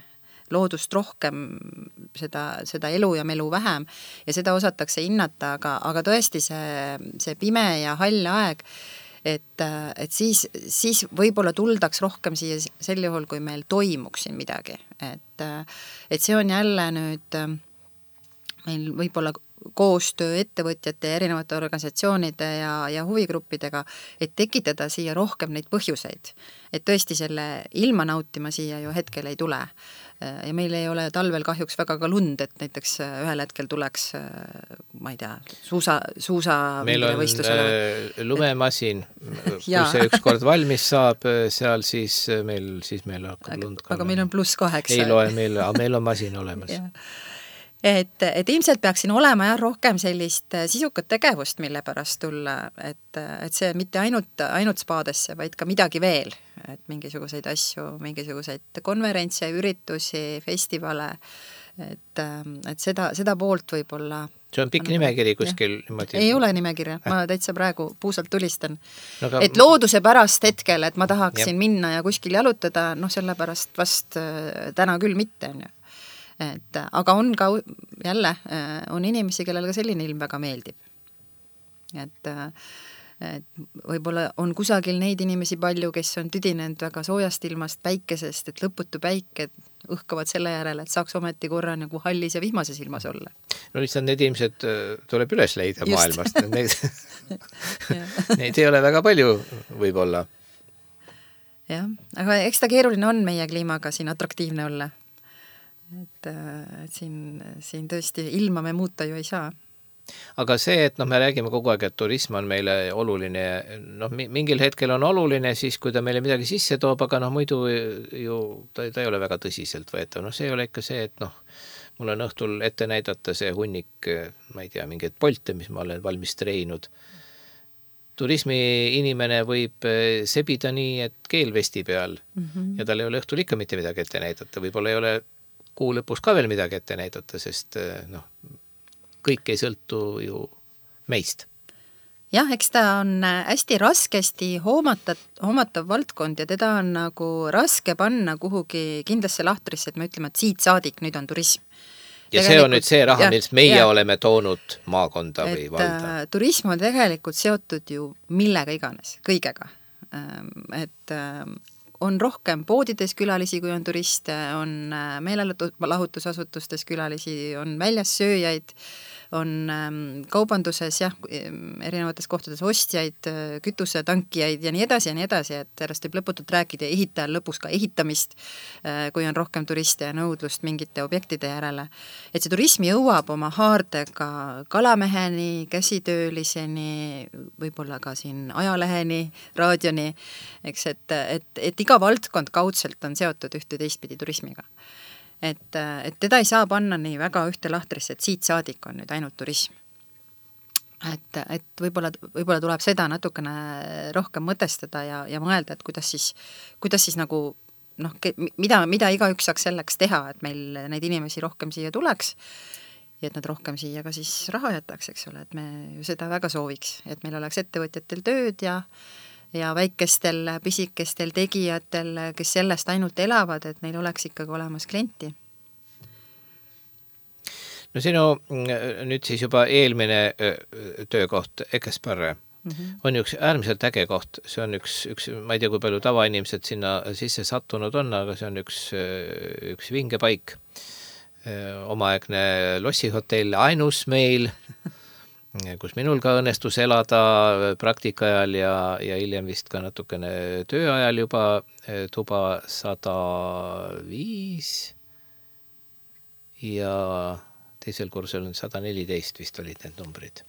loodust rohkem, seda, seda elu ja melu vähem ja seda osatakse hinnata, aga, aga tõesti see, see pime ja hall aeg, et, et siis, siis võib-olla tuldaks rohkem siia sel juhul, kui meil toimuks siin midagi. Et, et see on jälle nüüd meil võib-olla koostöö ettevõtjate ja erinevate organisatsioonide ja, ja huvigruppidega, et tekitada siia rohkem neid põhjuseid. Et tõesti selle ilma nautima siia ju hetkel ei tule. Ja meil ei ole talvel kahjuks väga ka lund, et näiteks ühel hetkel tuleks, ma ei tea, suusa, suusa meil on äh, lumemasin, kui see ükskord valmis saab, seal siis meil, siis meil hakkab lund ka. Aga meil on pluss kaheksa. Ei loe meil, aga meil on masin olemas. Et, et ilmselt peaks siin olema jah rohkem sellist sisukat tegevust, mille pärast tulla, et, et see mitte ainult, ainult spaadesse, vaid ka midagi veel, et mingisuguseid asju, mingisuguseid konverentse, üritusi, festivale, et, et seda, seda poolt võib-olla. See on pikk nimekiri kuskil. Niimoodi... Ei ole nimekirja, ma täitsa praegu puusalt tulistan. No, aga... Et looduse pärast hetkel, et ma tahaksin ja. minna ja kuskil jalutada, noh sellepärast vast täna küll mitte on ju. Et, aga on ka jälle, on inimesi, kellel ka selline ilm väga meeldib. Et, et võib-olla on kusagil neid inimesi palju, kes on tüdinenud väga soojast ilmast, päikesest, et lõputu päike õhkavad selle järele, et saaks ometi korra nagu hallis ja vihmases ilmas olla. No lihtsalt need inimesed tuleb üles leida Just. maailmast. Neid, neid ei ole väga palju võib-olla. Jah, aga eks ta keeruline on meie kliimaga siin atraktiivne olla. Et, et siin, siin tõesti ilma me muuta ju ei saa. Aga see, et noh, me räägime kogu aeg, et turism on meile oluline, noh, mingil hetkel on oluline siis, kui ta meile midagi sisse toob, aga noh, muidu ju ta, ta ei ole väga tõsiselt võetav. No see ei ole ikka see, et noh, mul on õhtul ette näidata see hunnik, ma ei tea, mingeid polte, mis ma olen valmis treinud. Turismi inimene võib sebida nii, et keel vesti peal mm -hmm. ja tal ei ole õhtul ikka mitte midagi ette näidata. Võib-olla ei ole kuu lõpus ka veel midagi ette näidata, sest noh, kõik ei sõltu ju meist. Jah, eks ta on hästi raskesti hoomatav, hoomatav valdkond ja teda on nagu raske panna kuhugi kindlasse lahtrisse, et me ütleme, et siit saadik nüüd on turism. Ja see on nüüd see raha, mis meie ja. oleme toonud maakonda või et, valda. Turism on tegelikult seotud ju millega iganes, kõigega. Et on rohkem poodides külalisi, kui on turiste, on meelelahutusasutustes külalisi, on väljas sööjaid, on kaubanduses jah, erinevates kohtades ostjaid, kütusetankijaid ja nii edasi ja nii edasi, et sellest võib lõputult rääkida ja ehitajal lõpus ka ehitamist, kui on rohkem turiste ja nõudlust mingite objektide järele. Et see turism jõuab oma haardega kalameheni, käsitööliseni, võib-olla ka siin ajaleheni, raadioni, eks, et, et, et iga valdkond kaudselt on seotud ühte teistpidi turismiga. Et, et teda ei saa panna nii väga ühte lahtrisse, et siit saadik on nüüd ainult turism. Et, et võib-olla, võib-olla tuleb seda natukene rohkem mõtestada ja, ja mõelda, et kuidas siis, kuidas siis nagu, noh, mida, mida igaüks saaks selleks teha, et meil neid inimesi rohkem siia tuleks ja et nad rohkem siia ka siis raha jätaks, eks ole, et me ju seda väga sooviks, et meil oleks ettevõtjatel tööd ja ja väikestel, pisikestel tegijatel, kes sellest ainult elavad, et neil oleks ikkagi olemas klienti. No sinu nüüd siis juba eelmine töökoht Ekesparre mm-hmm. on üks äärmiselt äge koht. See on üks, üks, ma ei tea, kui palju tavainimesed sinna sisse sattunud on, aga see on üks, üks vinge paik. Omaaegne lossihotell, ainus meil, kus minul ka õnnestus elada praktika ajal ja, ja hiljem vist ka natukene tööajal juba tuba sada viis ja teisel kursul on sada neliteist vist olid need numbrid.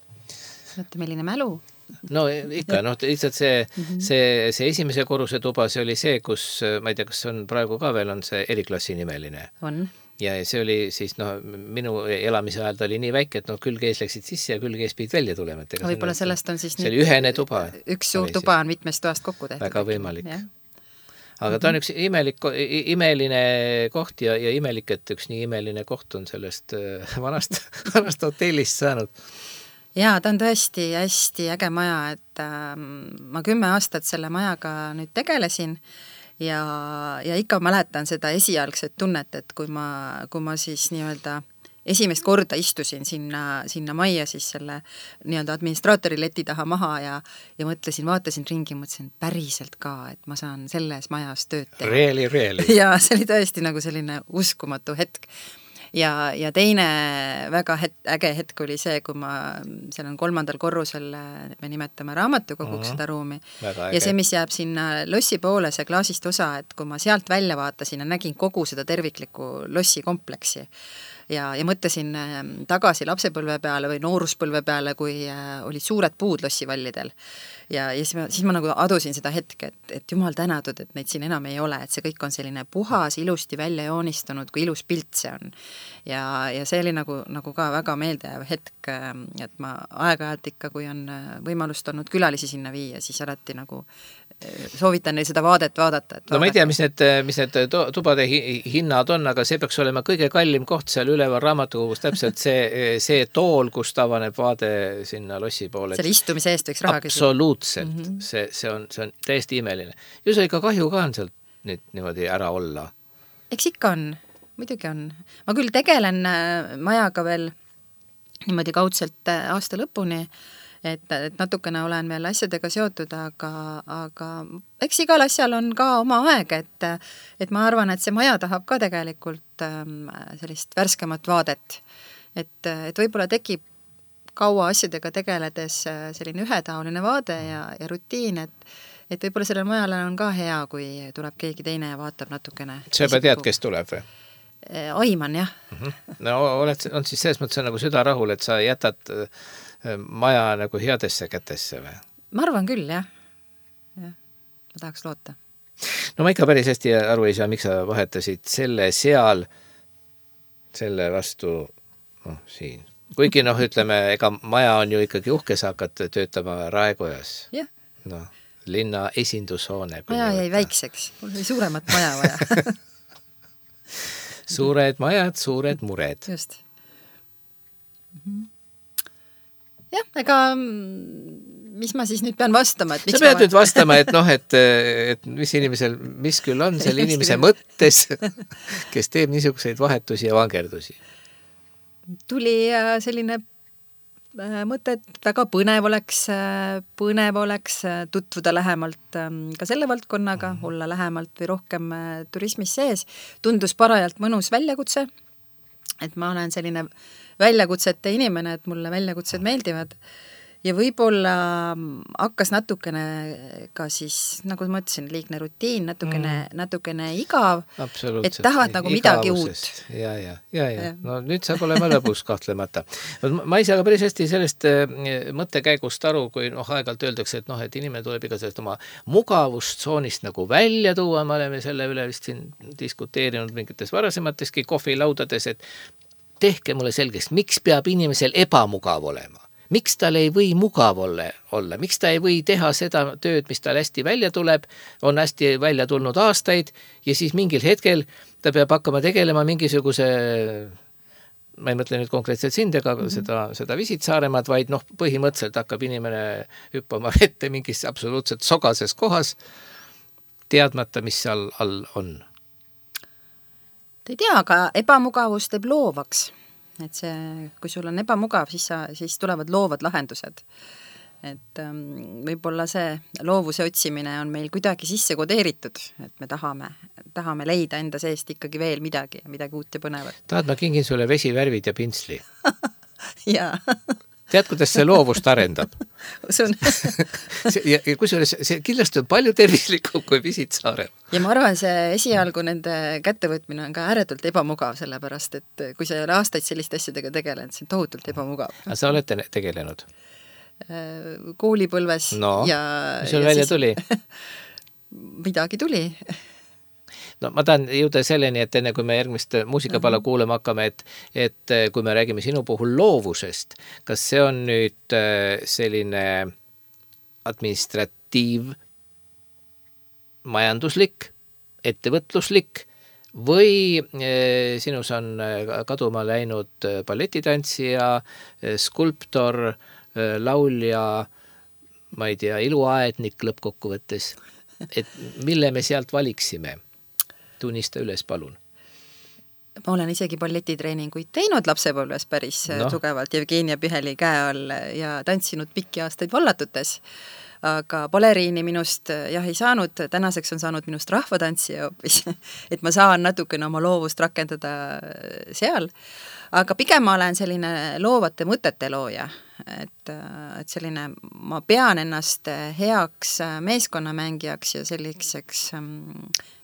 Mõtte, milline mälu? No ikka, noh, lihtsalt see, see, see esimese korruse tuba, see oli see, kus, ma ei tea, kas on praegu ka veel, on see eriklassi nimeline. On. Ja see oli siis, noh, minu elamise ajal ta oli nii väike, et noh, külg ees läksid sisse ja külg ees pidid välja tulema. No, võib-olla sellest on siis see oli ühene tuba. Üks suur tuba on mitmest toast kokku tehtud. Väga võimalik. Ja. Aga ta on üks imelik, imeline koht ja, ja imelik, et üks nii imeline koht on sellest vanast, vanast hotellist saanud. Jaa, ta on tõesti hästi äge maja, et äh, ma kümme aastat selle majaga nüüd tegelesin ja, ja ikka mäletan seda esialgset tunnet, et kui ma, kui ma siis nii-öelda esimest korda istusin sinna, sinna majja siis selle nii-öelda administraatori leti taha maha ja, ja mõtlesin, vaatasin ringi, mõtlesin päriselt ka, et ma saan selles majas tööd teha. Really, really. Ja see oli tõesti nagu selline uskumatu hetk. Ja, ja teine väga het, äge hetk oli see, kui ma, seal on kolmandal korrusel, me nimetame raamatukoguks mm-hmm. seda ruumi. Ja see, mis jääb sinna lossi poole, see klaasist osa, et kui ma sealt välja vaatasin ja nägin kogu seda terviklikku lossi kompleksi ja, ja mõtlesin tagasi lapsepõlve peale või nooruspõlve peale, kui olid suured puud lossivallidel. Ja, ja siis, ma, siis ma nagu adusin seda hetke, et, et jumal tänatud, et neid siin enam ei ole, et see kõik on selline puhas, ilusti välja joonistunud, kui ilus pilt see on. Ja, ja see oli nagu, nagu ka väga meeldejääv hetk, et ma aeg-ajalt ikka, kui on võimalust olnud külalisi sinna viia, siis alati nagu soovitan neil seda vaadet vaadata. Et no ma ei tea, mis need, mis need tubade hinnad on, aga see peaks olema kõige kallim koht seal üleval raamatukogus, täpselt see, see tool, kus tavaneb vaade sinna lossi poole. Selle istumise eest võiks raha küsida. Absoluutselt. Mm-hmm. See, see, on, see on täiesti imeline. Ju see ikka kahju ka on sealt nüüd niimoodi ära olla. Eks ikka on, muidugi on. Ma küll tegelen majaga veel niimoodi kaudselt aasta lõpuni, et, et natukene olen veel asjadega seotud, aga, aga eks igal asjal on ka oma aeg, et, et ma arvan, et see maja tahab ka tegelikult sellist värskemat vaadet. Et, et võib-olla tekib kaua asjadega tegeledes selline ühetaoline vaade ja, ja rutiin, et, et võib-olla sellel majale on ka hea, kui tuleb keegi teine ja vaatab natukene. Sa juba tead, kes tuleb või? Aiman, jah. No oled, on siis selles mõttes nagu süda rahul, et sa jätad maja nagu headesse kätesse või? Ma arvan küll, jah. jah. Ma tahaks loota. No ma ikka päris hästi aru ei saa, miks sa vahetasid selle seal, selle vastu noh, siin. Kuigi noh, ütleme, ega maja on ju ikkagi uhke, sa hakkad töötama Raekojas. Jah. Noh, linna esindushoone. Maja jäi väikseks, mul oli suuremat maja vaja. Suured majad, suured mured. Just. Jah, ega mis ma siis nüüd pean vastama? Et sa pead ma... nüüd vastama, et noh, et, et mis inimesel, mis küll on selle inimese mõttes, kes teeb niisuguseid vahetusi ja vangerdusi. Tuli selline mõte, et väga põnev oleks, põnev oleks tutvuda lähemalt ka selle valdkonnaga, mm. olla lähemalt või rohkem turismis sees. Tundus parajalt mõnus väljakutse, et ma olen selline väljakutsete inimene, et mulle väljakutsed meeldivad. Ja võib-olla hakkas natukene ka siis, nagu ma ütlesin, liigne rutiin, natukene, mm. natukene igav, et tahavad nagu midagi uut. Ja, ja, ja, ja. No nüüd saab olema lõbus kahtlemata. Ma ei saa ka päris hästi sellest mõttekäigust aru, kui noh, aegalt öeldakse, et noh, et inimene tuleb iga sellest oma mugavustsoonist nagu välja tuua, me oleme selle üle vist siin diskuteerinud mingites varasemateski kohvilaudades, et tehke mulle selgeks, miks peab inimesel ebamugav olema? Miks tal ei või mugav olla, olla? Miks ta ei või teha seda tööd, mis tal hästi välja tuleb, on hästi välja tulnud aastaid ja siis mingil hetkel ta peab hakkama tegelema mingisuguse, ma ei mõtle nüüd konkreetselt sind ega mm-hmm. seda, seda Visit Saaremaad, vaid noh, põhimõtteliselt hakkab inimene hüppama vette mingis absoluutselt sogases kohas, teadmata, mis seal all on. Te ei tea, aga ebamugavus teeb loovaks. Et see, kui sul on ebamugav, siis, sa, siis tulevad loovad lahendused. Et ähm, võib-olla see loovuse otsimine on meil kuidagi sisse kodeeritud, et me tahame, tahame leida enda seest ikkagi veel midagi, midagi uut ja põnevat. Tahad, ma kingin sulle vesivärvid ja pintsli? Jaa. Tead, kuidas see loovust arendab? Usun. ja, ja kusjuures see kindlasti on palju tervislikum kui Visit Saaremaad. Ja ma arvan, see esialgu nende kättevõtmine on ka ääretult ebamugav, sellepärast, et kui sa ei ole aastaid selliste asjadega tegelenud, see on tohutult ebamugav. Aga sa olete tegelenud? Koolipõlves. No, ja, mis sul välja siis... tuli? Midagi tuli. No ma tahan jõuda selleni, et enne kui me järgmist muusikapala uh-huh. kuulema hakkame, et, et kui me räägime sinu puhul loovusest, kas see on nüüd selline administratiiv, majanduslik, ettevõtluslik või sinus on kaduma läinud balletitantsija, skulptor, laulja, ma ei tea, iluaednik lõppkokkuvõttes, et mille me sealt valiksime? Tunnista üles, palun. Ma olen isegi balletitreeninguid teinud lapsepõlves päris no. tugevalt Jevgenia Piheli käe all ja tantsinud pikki aastaid vallatutes. Aga baleriini minust jah ei saanud, tänaseks on saanud minust rahvatantsija hoopis, et ma saan natukene oma loovust rakendada seal. Aga pigem ma olen selline loovate mõtete looja, et, et selline, ma pean ennast heaks meeskonnamängijaks ja selliseks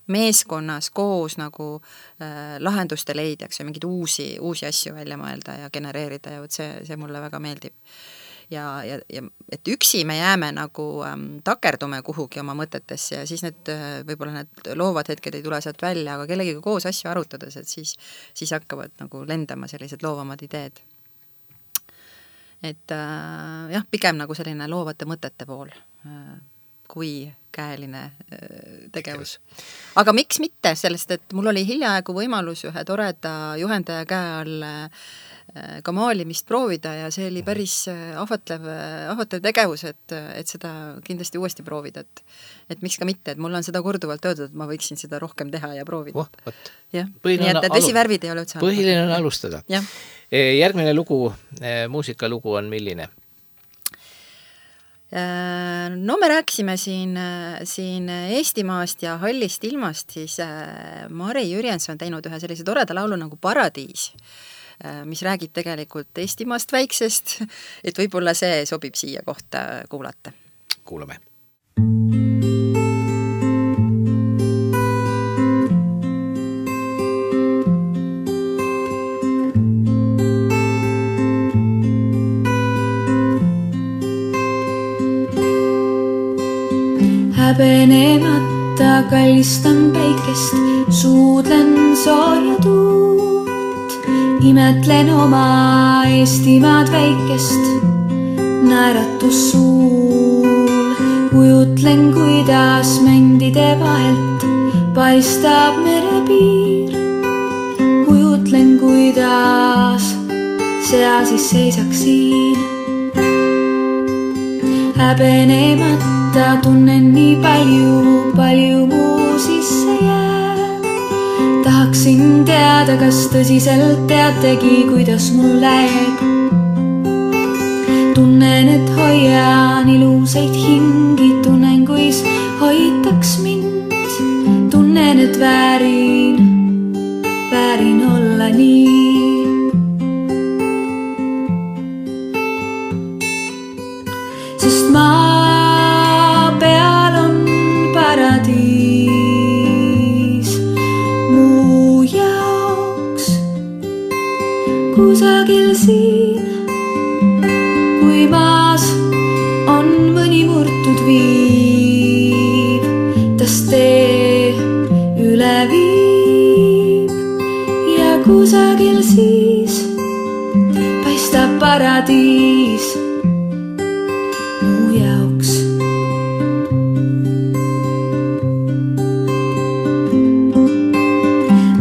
meeskonnas koos nagu äh, lahenduste leidjaks ja mingid uusi, uusi asju välja mõelda ja genereerida ja see, see mulle väga meeldib. Ja, ja, ja et üksi me jääme nagu ähm, takerdume kuhugi oma mõtetesse ja siis need, võib-olla need loovad hetked ei tule sealt välja, aga kellegiga koos asju arutades, et siis, siis hakkavad nagu lendama sellised loovamad ideed. Et äh, jah, pigem nagu selline loovate mõtete pool äh, kui käeline tegevus. Aga miks mitte sellest, et mul oli hiljaaegu võimalus ühe toreda juhendaja käe all ka maalimist proovida ja see oli päris ahvatlev, ahvatlev tegevus, et, et seda kindlasti uuesti proovida, et, et miks ka mitte, et mul on seda korduvalt öeldud, et ma võiksin seda rohkem teha ja proovida. Oh, võt. Ja. Nii et, et vesivärvid ei ole üldse. Põhiline on alustada. Ja. Järgmine lugu, muusikalugu on milline? No me rääkisime siin, siin Eestimaast ja hallist ilmast, siis Mari Jürjens on teinud ühe sellise toreda laulu nagu Paradiis, mis räägib tegelikult Eestimaast väiksest, et võib-olla see sobib siia kohta kuulata. Kuulame. Häbenemata kallistan päikest, suudlen sooja tuult, imetlen oma Eestimaad väikest, naeratus suul, kujutlen, kuidas mändide vahelt paistab merepiir, kuidas sea siis seisaks siin. Häbenemata tunnen nii palju, palju muu sisse jääb. Tahaksin teada, kas tõsiselt teategi, kuidas mul läheb. Tunnen, et hoian ilusaid hingi, tunnen, kuis hoitaks mind. Tunnen, et väärin, väärin olla nii. Sest maa peal on paradiis muu jaoks kusagil siin. Kui maas on mõni murtud viib, tas tee üle viib ja kusagil siis paistab paradiis muu jaoks.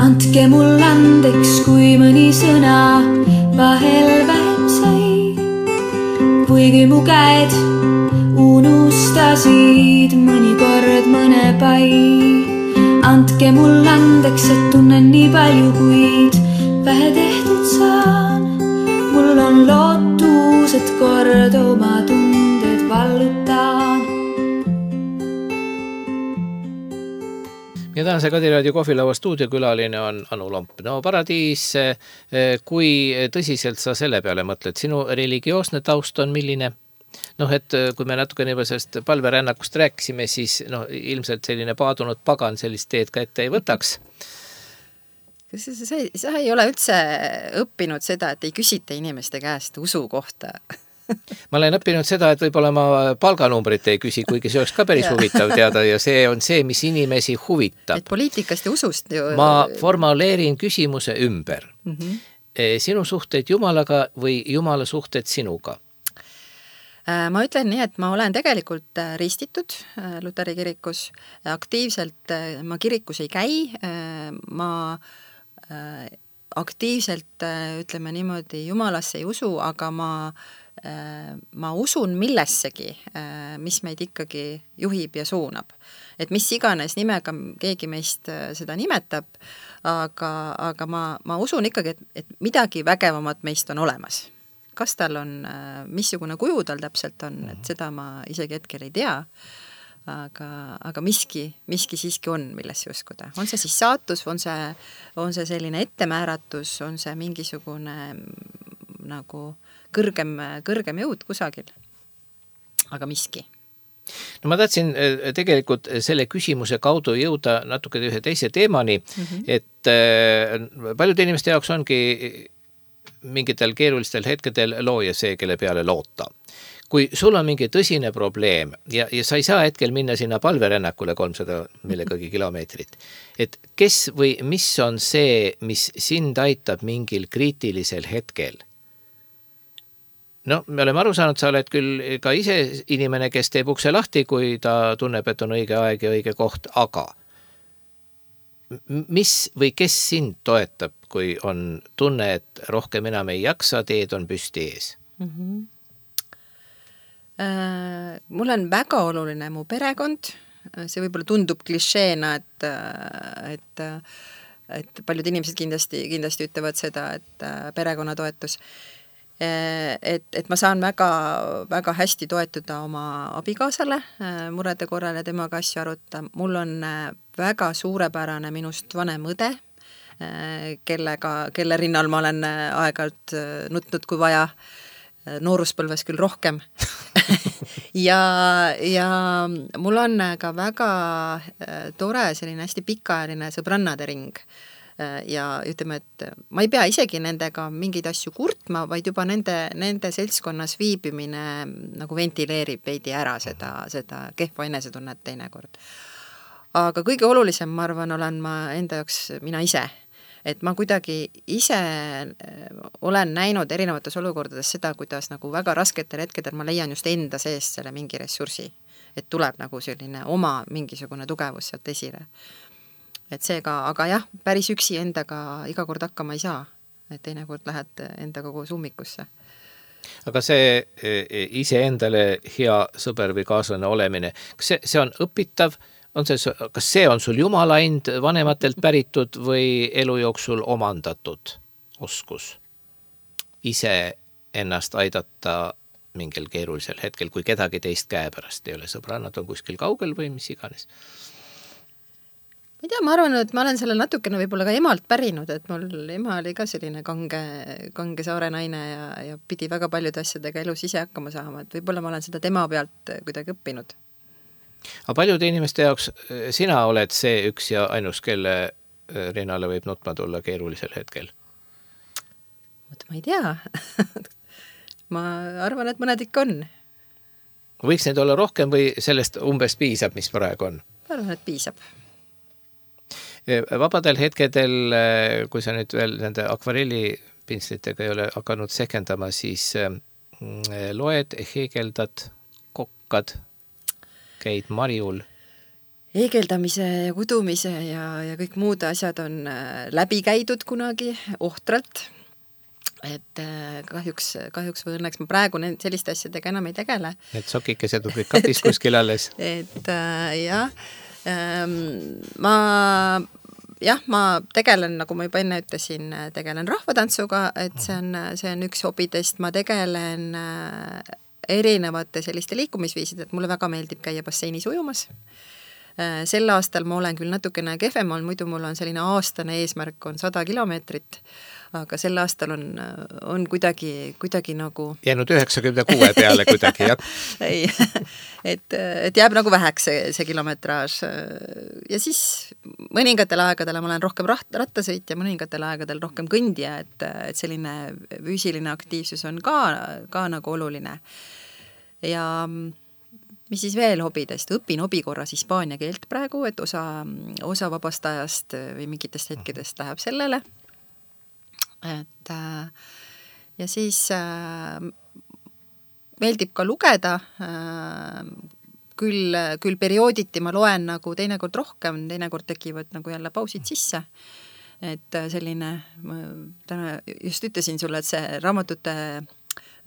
Andke mul andeks, kui mõni sõna vahel vähem sai. Kuigi mu käed unustasid mõnikord mõne pai. Andke mul andeks, et tunnen nii palju, kuid vähe tehtud saan. Mul on lootus, et kord oma tunded vallutaan. Ja tänase Kadiraadio kohvilaua stuudiokülaline on Anu Lomp. No paradiis, kui tõsiselt sa selle peale mõtled, sinu religioosne taust on milline? Noh, et kui me natuke juba sellest palverännakust rääkisime, siis no, ilmselt selline paadunud pagan sellist teed ka ette ei võtaks. Sa, sa, sa ei ole üldse õppinud seda, et ei küsita inimeste käest usu kohta. Ma olen õppinud seda, et võib-olla ma palganumbrit ei küsi, kuigi see oleks ka päris huvitav teada ja see on see, mis inimesi huvitab. Et poliitikast ja usust ju... Ma formuleerin küsimuse ümber. Mm-hmm. Sinu suhted Jumalaga või Jumala suhted sinuga? Ma ütlen nii, et ma olen tegelikult ristitud Luteri kirikus. Aktiivselt ma kirikus ei käi. Ma aktiivselt, ütleme niimoodi, Jumalasse ei usu, aga ma ma usun millessegi, mis meid ikkagi juhib ja suunab. Et mis iganes nimega keegi meist seda nimetab, aga, aga ma, ma usun ikkagi, et, et midagi vägevamat meist on olemas. Kas tal on, missugune kuju tal täpselt on, et seda ma isegi hetkel ei tea, aga, aga miski, miski siiski on, millesse uskuda. On see siis saatus, on see, on see selline ettemääratus, on see mingisugune nagu kõrgem, kõrgem jõud kusagil, aga miski. No ma tahtsin tegelikult selle küsimuse kaudu jõuda natuke ühe teise teemani, mm-hmm. et paljude inimeste jaoks ongi mingitel keerulistel hetkedel looja see, kelle peale loota. Kui sul on mingi tõsine probleem ja, ja sa ei saa hetkel minna sinna palverännakule kolmsada millegagi kilomeetrit, et kes või mis on see, mis sind aitab mingil kriitilisel hetkel? No, me oleme aru saanud, sa oled küll ka ise inimene, kes teeb ukse lahti, kui ta tunneb, et on õige aeg ja õige koht, aga mis või kes sind toetab, kui on tunne, et rohkem enam ei jaksa, teed on püsti ees? Mm-hmm. Äh, mul on väga oluline mu perekond, see võib-olla tundub klišeena, et, et, et paljud inimesed kindlasti, kindlasti ütlevad seda, et perekonnatoetus. Et, et ma saan väga, väga hästi toetuda oma abikaasale murede korral ja temaga asju aruta. Mul on väga suurepärane minust vanem õde, kellega, kelle rinnal ma olen aeg-ajalt nutnud kui vaja, nooruspõlves küll rohkem. ja, ja mul on ka väga tore selline hästi pikaajaline sõbrannade ring. Ja ütleme, et ma ei pea isegi nendega mingeid asju kurtma, vaid juba nende, nende seltskonnas viibimine nagu ventileerib veidi ära seda, seda kehva enesetunnet teinekord. Aga kõige olulisem, ma arvan, olen ma enda jaoks mina ise. Et ma kuidagi ise olen näinud erinevates olukordades seda, kuidas nagu väga rasketel hetkedel ma leian just enda seest selle mingi ressursi. Et tuleb nagu selline oma mingisugune tugevus sealt esile. Et seega, aga jah, päris üksi endaga iga kord hakkama ei saa. et teinekord lähed endaga koos ummikusse. Aga see iseendale hea sõber või kaaslane olemine, kas see, see on õpitav, on see, kas see on sul jumala ind vanematelt päritud või elu jooksul omandatud oskus ise ennast aidata mingil keerulisel hetkel, kui kedagi teist käe pärast ei ole, sõbrannad on kuskil kaugel või mis iganes? Ma ei tea, ma arvan, et ma olen selle natukene võib-olla ka emalt pärinud, et mul ema oli ka selline kange, kange saare naine ja, ja pidi väga paljude asjadega elus ise hakkama saama, et võib-olla ma olen seda tema pealt kuidagi õppinud. Aga paljude inimeste jaoks sina oled see üks ja ainus, kelle rinnale võib nutma tulla keerulisel hetkel? Oot, ma ei tea. Ma arvan, et mõned ikka on. Võiks neid olla rohkem või sellest umbes piisab, mis praegu on? Ma arvan, et piisab. Vabadel hetkedel, kui sa nüüd veel nende akvarellipintslitega ei ole hakanud sekendama, siis loed, heegeldad, kokkad, käid marjul. Heegeldamise ja kudumise ja, ja kõik muud asjad on läbi käidud kunagi ohtralt. Et kahjuks, kahjuks või õnneks ma praegu selliste asjadega enam ei tegele. Need sokikesed on kõik katis kuskil alles. Et jah, ma, jah, ma tegelen, nagu ma juba enne ütlesin, tegelen rahvatantsuga, et see on, see on üks hobidest, ma tegelen erinevate selliste liikumisviisid, et mulle väga meeldib käia basseinis ujumas. Sel aastal ma olen küll natukene kehvem, muidu mul on selline aastane eesmärk on sada kilomeetrit, aga sel aastal on, on kuidagi, kuidagi nagu... Jäänud üheksakümne kuue peale kuidagi, jah? Ei, et, et jääb nagu väheks see, see kilometraaž. Ja siis mõningatel aegadel ma olen rohkem rattasõit ja mõningatel aegadel rohkem kõndija, et, et selline füüsiline aktiivsus on ka, ka nagu oluline. Ja mis siis veel hobidest? Õpin hobi korras hispaania keelt praegu, et osa, osa vabastajast või mingitest hetkedest läheb sellele. Et, ja siis meeldib ka lugeda, küll, küll periooditi ma loen nagu teinekord rohkem, teinekord tekivad nagu jälle pausid sisse. Et selline, ma täna just ütlesin sulle, et see raamatute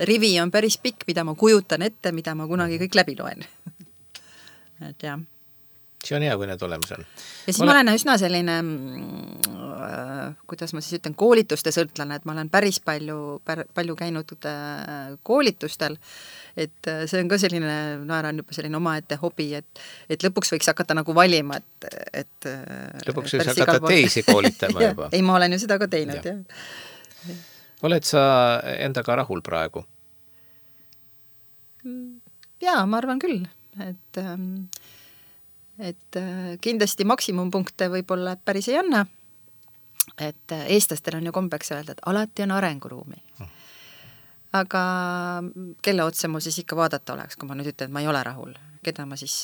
rivi on päris pikk, mida ma kujutan ette, mida ma kunagi kõik läbi loen. Et jah. See on hea, kui need olemas on. Ja siis Ole... ma olen üsna selline, kuidas ma siis ütlen, koolituste sõltlane, et ma olen päris palju, palju käinud koolitustel, et see on ka selline, naeran juba selline omaette hobi, et, et lõpuks võiks hakata nagu valima, et, et lõpuks võiks hakata teisi koolitama juba. Ei, ma olen ju seda ka teinud, jah. Ja. Oled sa endaga rahul praegu? Jaa, ma arvan küll, et et kindlasti maksimumpunkte võib-olla päris ei anna, et eestlastel on ju kombeks öelda, et alati on arenguruumi. Aga kelle otsa mul siis ikka vaadata oleks, kui ma nüüd ütlen, et ma ei ole rahul, keda ma siis,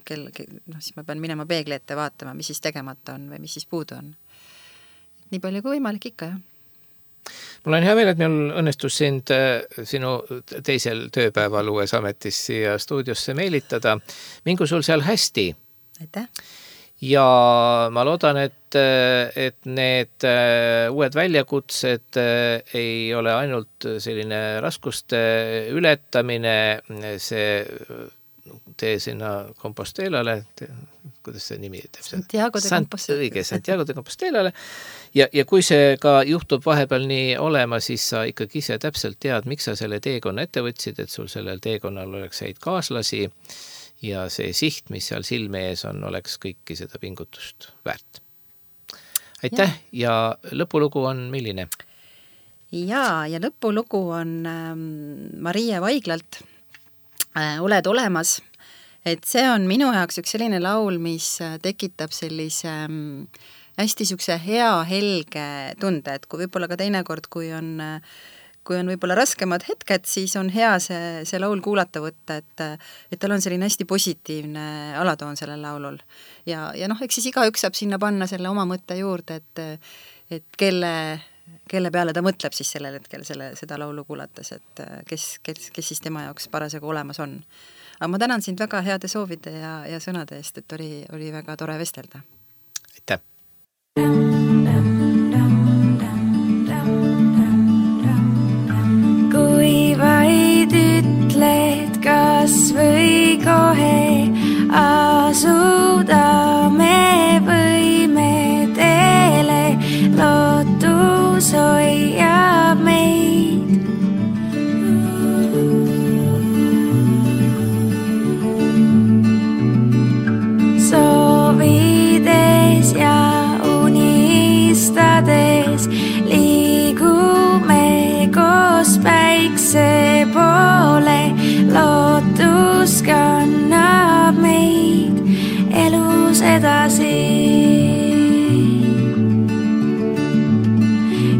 kelle, noh, siis ma pean minema peegli ette vaatama, mis siis tegemata on või mis siis puudu on. Et nii palju kui võimalik ikka, jah. Mul on hea meel, et meil õnnestus sind sinu teisel tööpäeval uues ametis siia stuudiosse meelitada. Mingu sul seal hästi. Aitäh. Ja ma loodan, et, et need uued väljakutsed ei ole ainult selline raskuste ületamine, see tee sinna Compostelale, kuidas see nimi teeb? Santiago de Compostela. Õige, Santiago de Compostelale. Ja, ja kui see ka juhtub vahepeal nii olema, siis sa ikkagi ise täpselt tead, miks sa selle teekonna ette võtsid, et sul sellel teekonnal oleks häid kaaslasi ja see siht, mis seal silme ees on, oleks kõiki seda pingutust väärt. Aitäh ja, ja lõpulugu on milline? Ja, ja lõpulugu on ähm, Marie Vaiglalt Oled olemas, et see on minu jaoks üks selline laul, mis tekitab sellise hästi sükse hea helge tunde, et kui võib-olla ka teinekord, kui on, kui on võib-olla raskemad hetked, siis on hea see, see laul kuulata võtta, et, et tal on selline hästi positiivne alatoon sellel laulul. Ja, ja noh, eks siis igaüks saab sinna panna selle oma mõtte juurde, et, et kelle... kelle peale ta mõtleb siis sellel hetkel selle, seda laulu kuulates, et kes, kes, kes siis tema jaoks parasjagu olemas on. Aga ma tänan sind väga heade soovide ja, ja sõnade eest, et oli, oli väga tore vestelda. Aitäh! kas või kohe asuda me võime teele, lootus hoiab meid. Soovides ja unistades liigume koos päikse poole, lootus kannab meid elus edasi.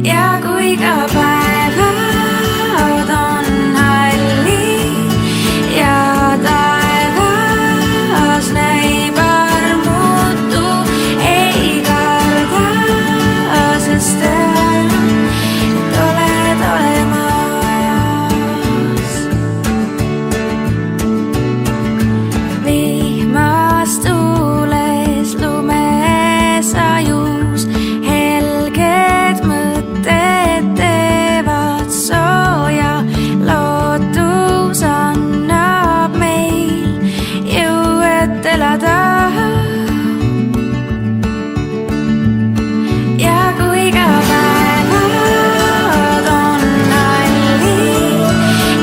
Ja kui ka päevad on hallid ja taevas näib armutu, ei karda, sest et oled olemas. Vihmas tuules lumesajus helged mõtted teevad sooja, lootus annab meil jõu, et elada. Ja kui ka päevad on hallid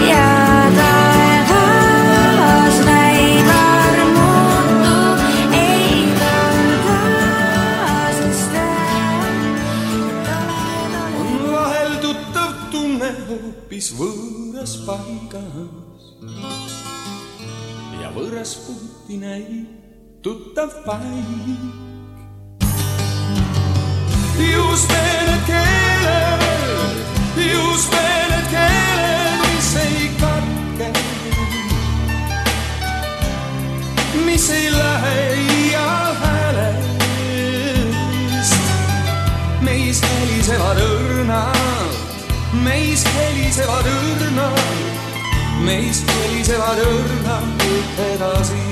ja taevas näib armutu, ei karda, sest et On vahel tuttav tunne hoopis võõras paigas ja võõras puhti näib tuttav paik. Just need keeled, just need keeled, mis ei katke, mis ei lähe iial häälest. Meis helisevad õrnad, meis helisevad õrnad, meis helisevad õrnad edasi.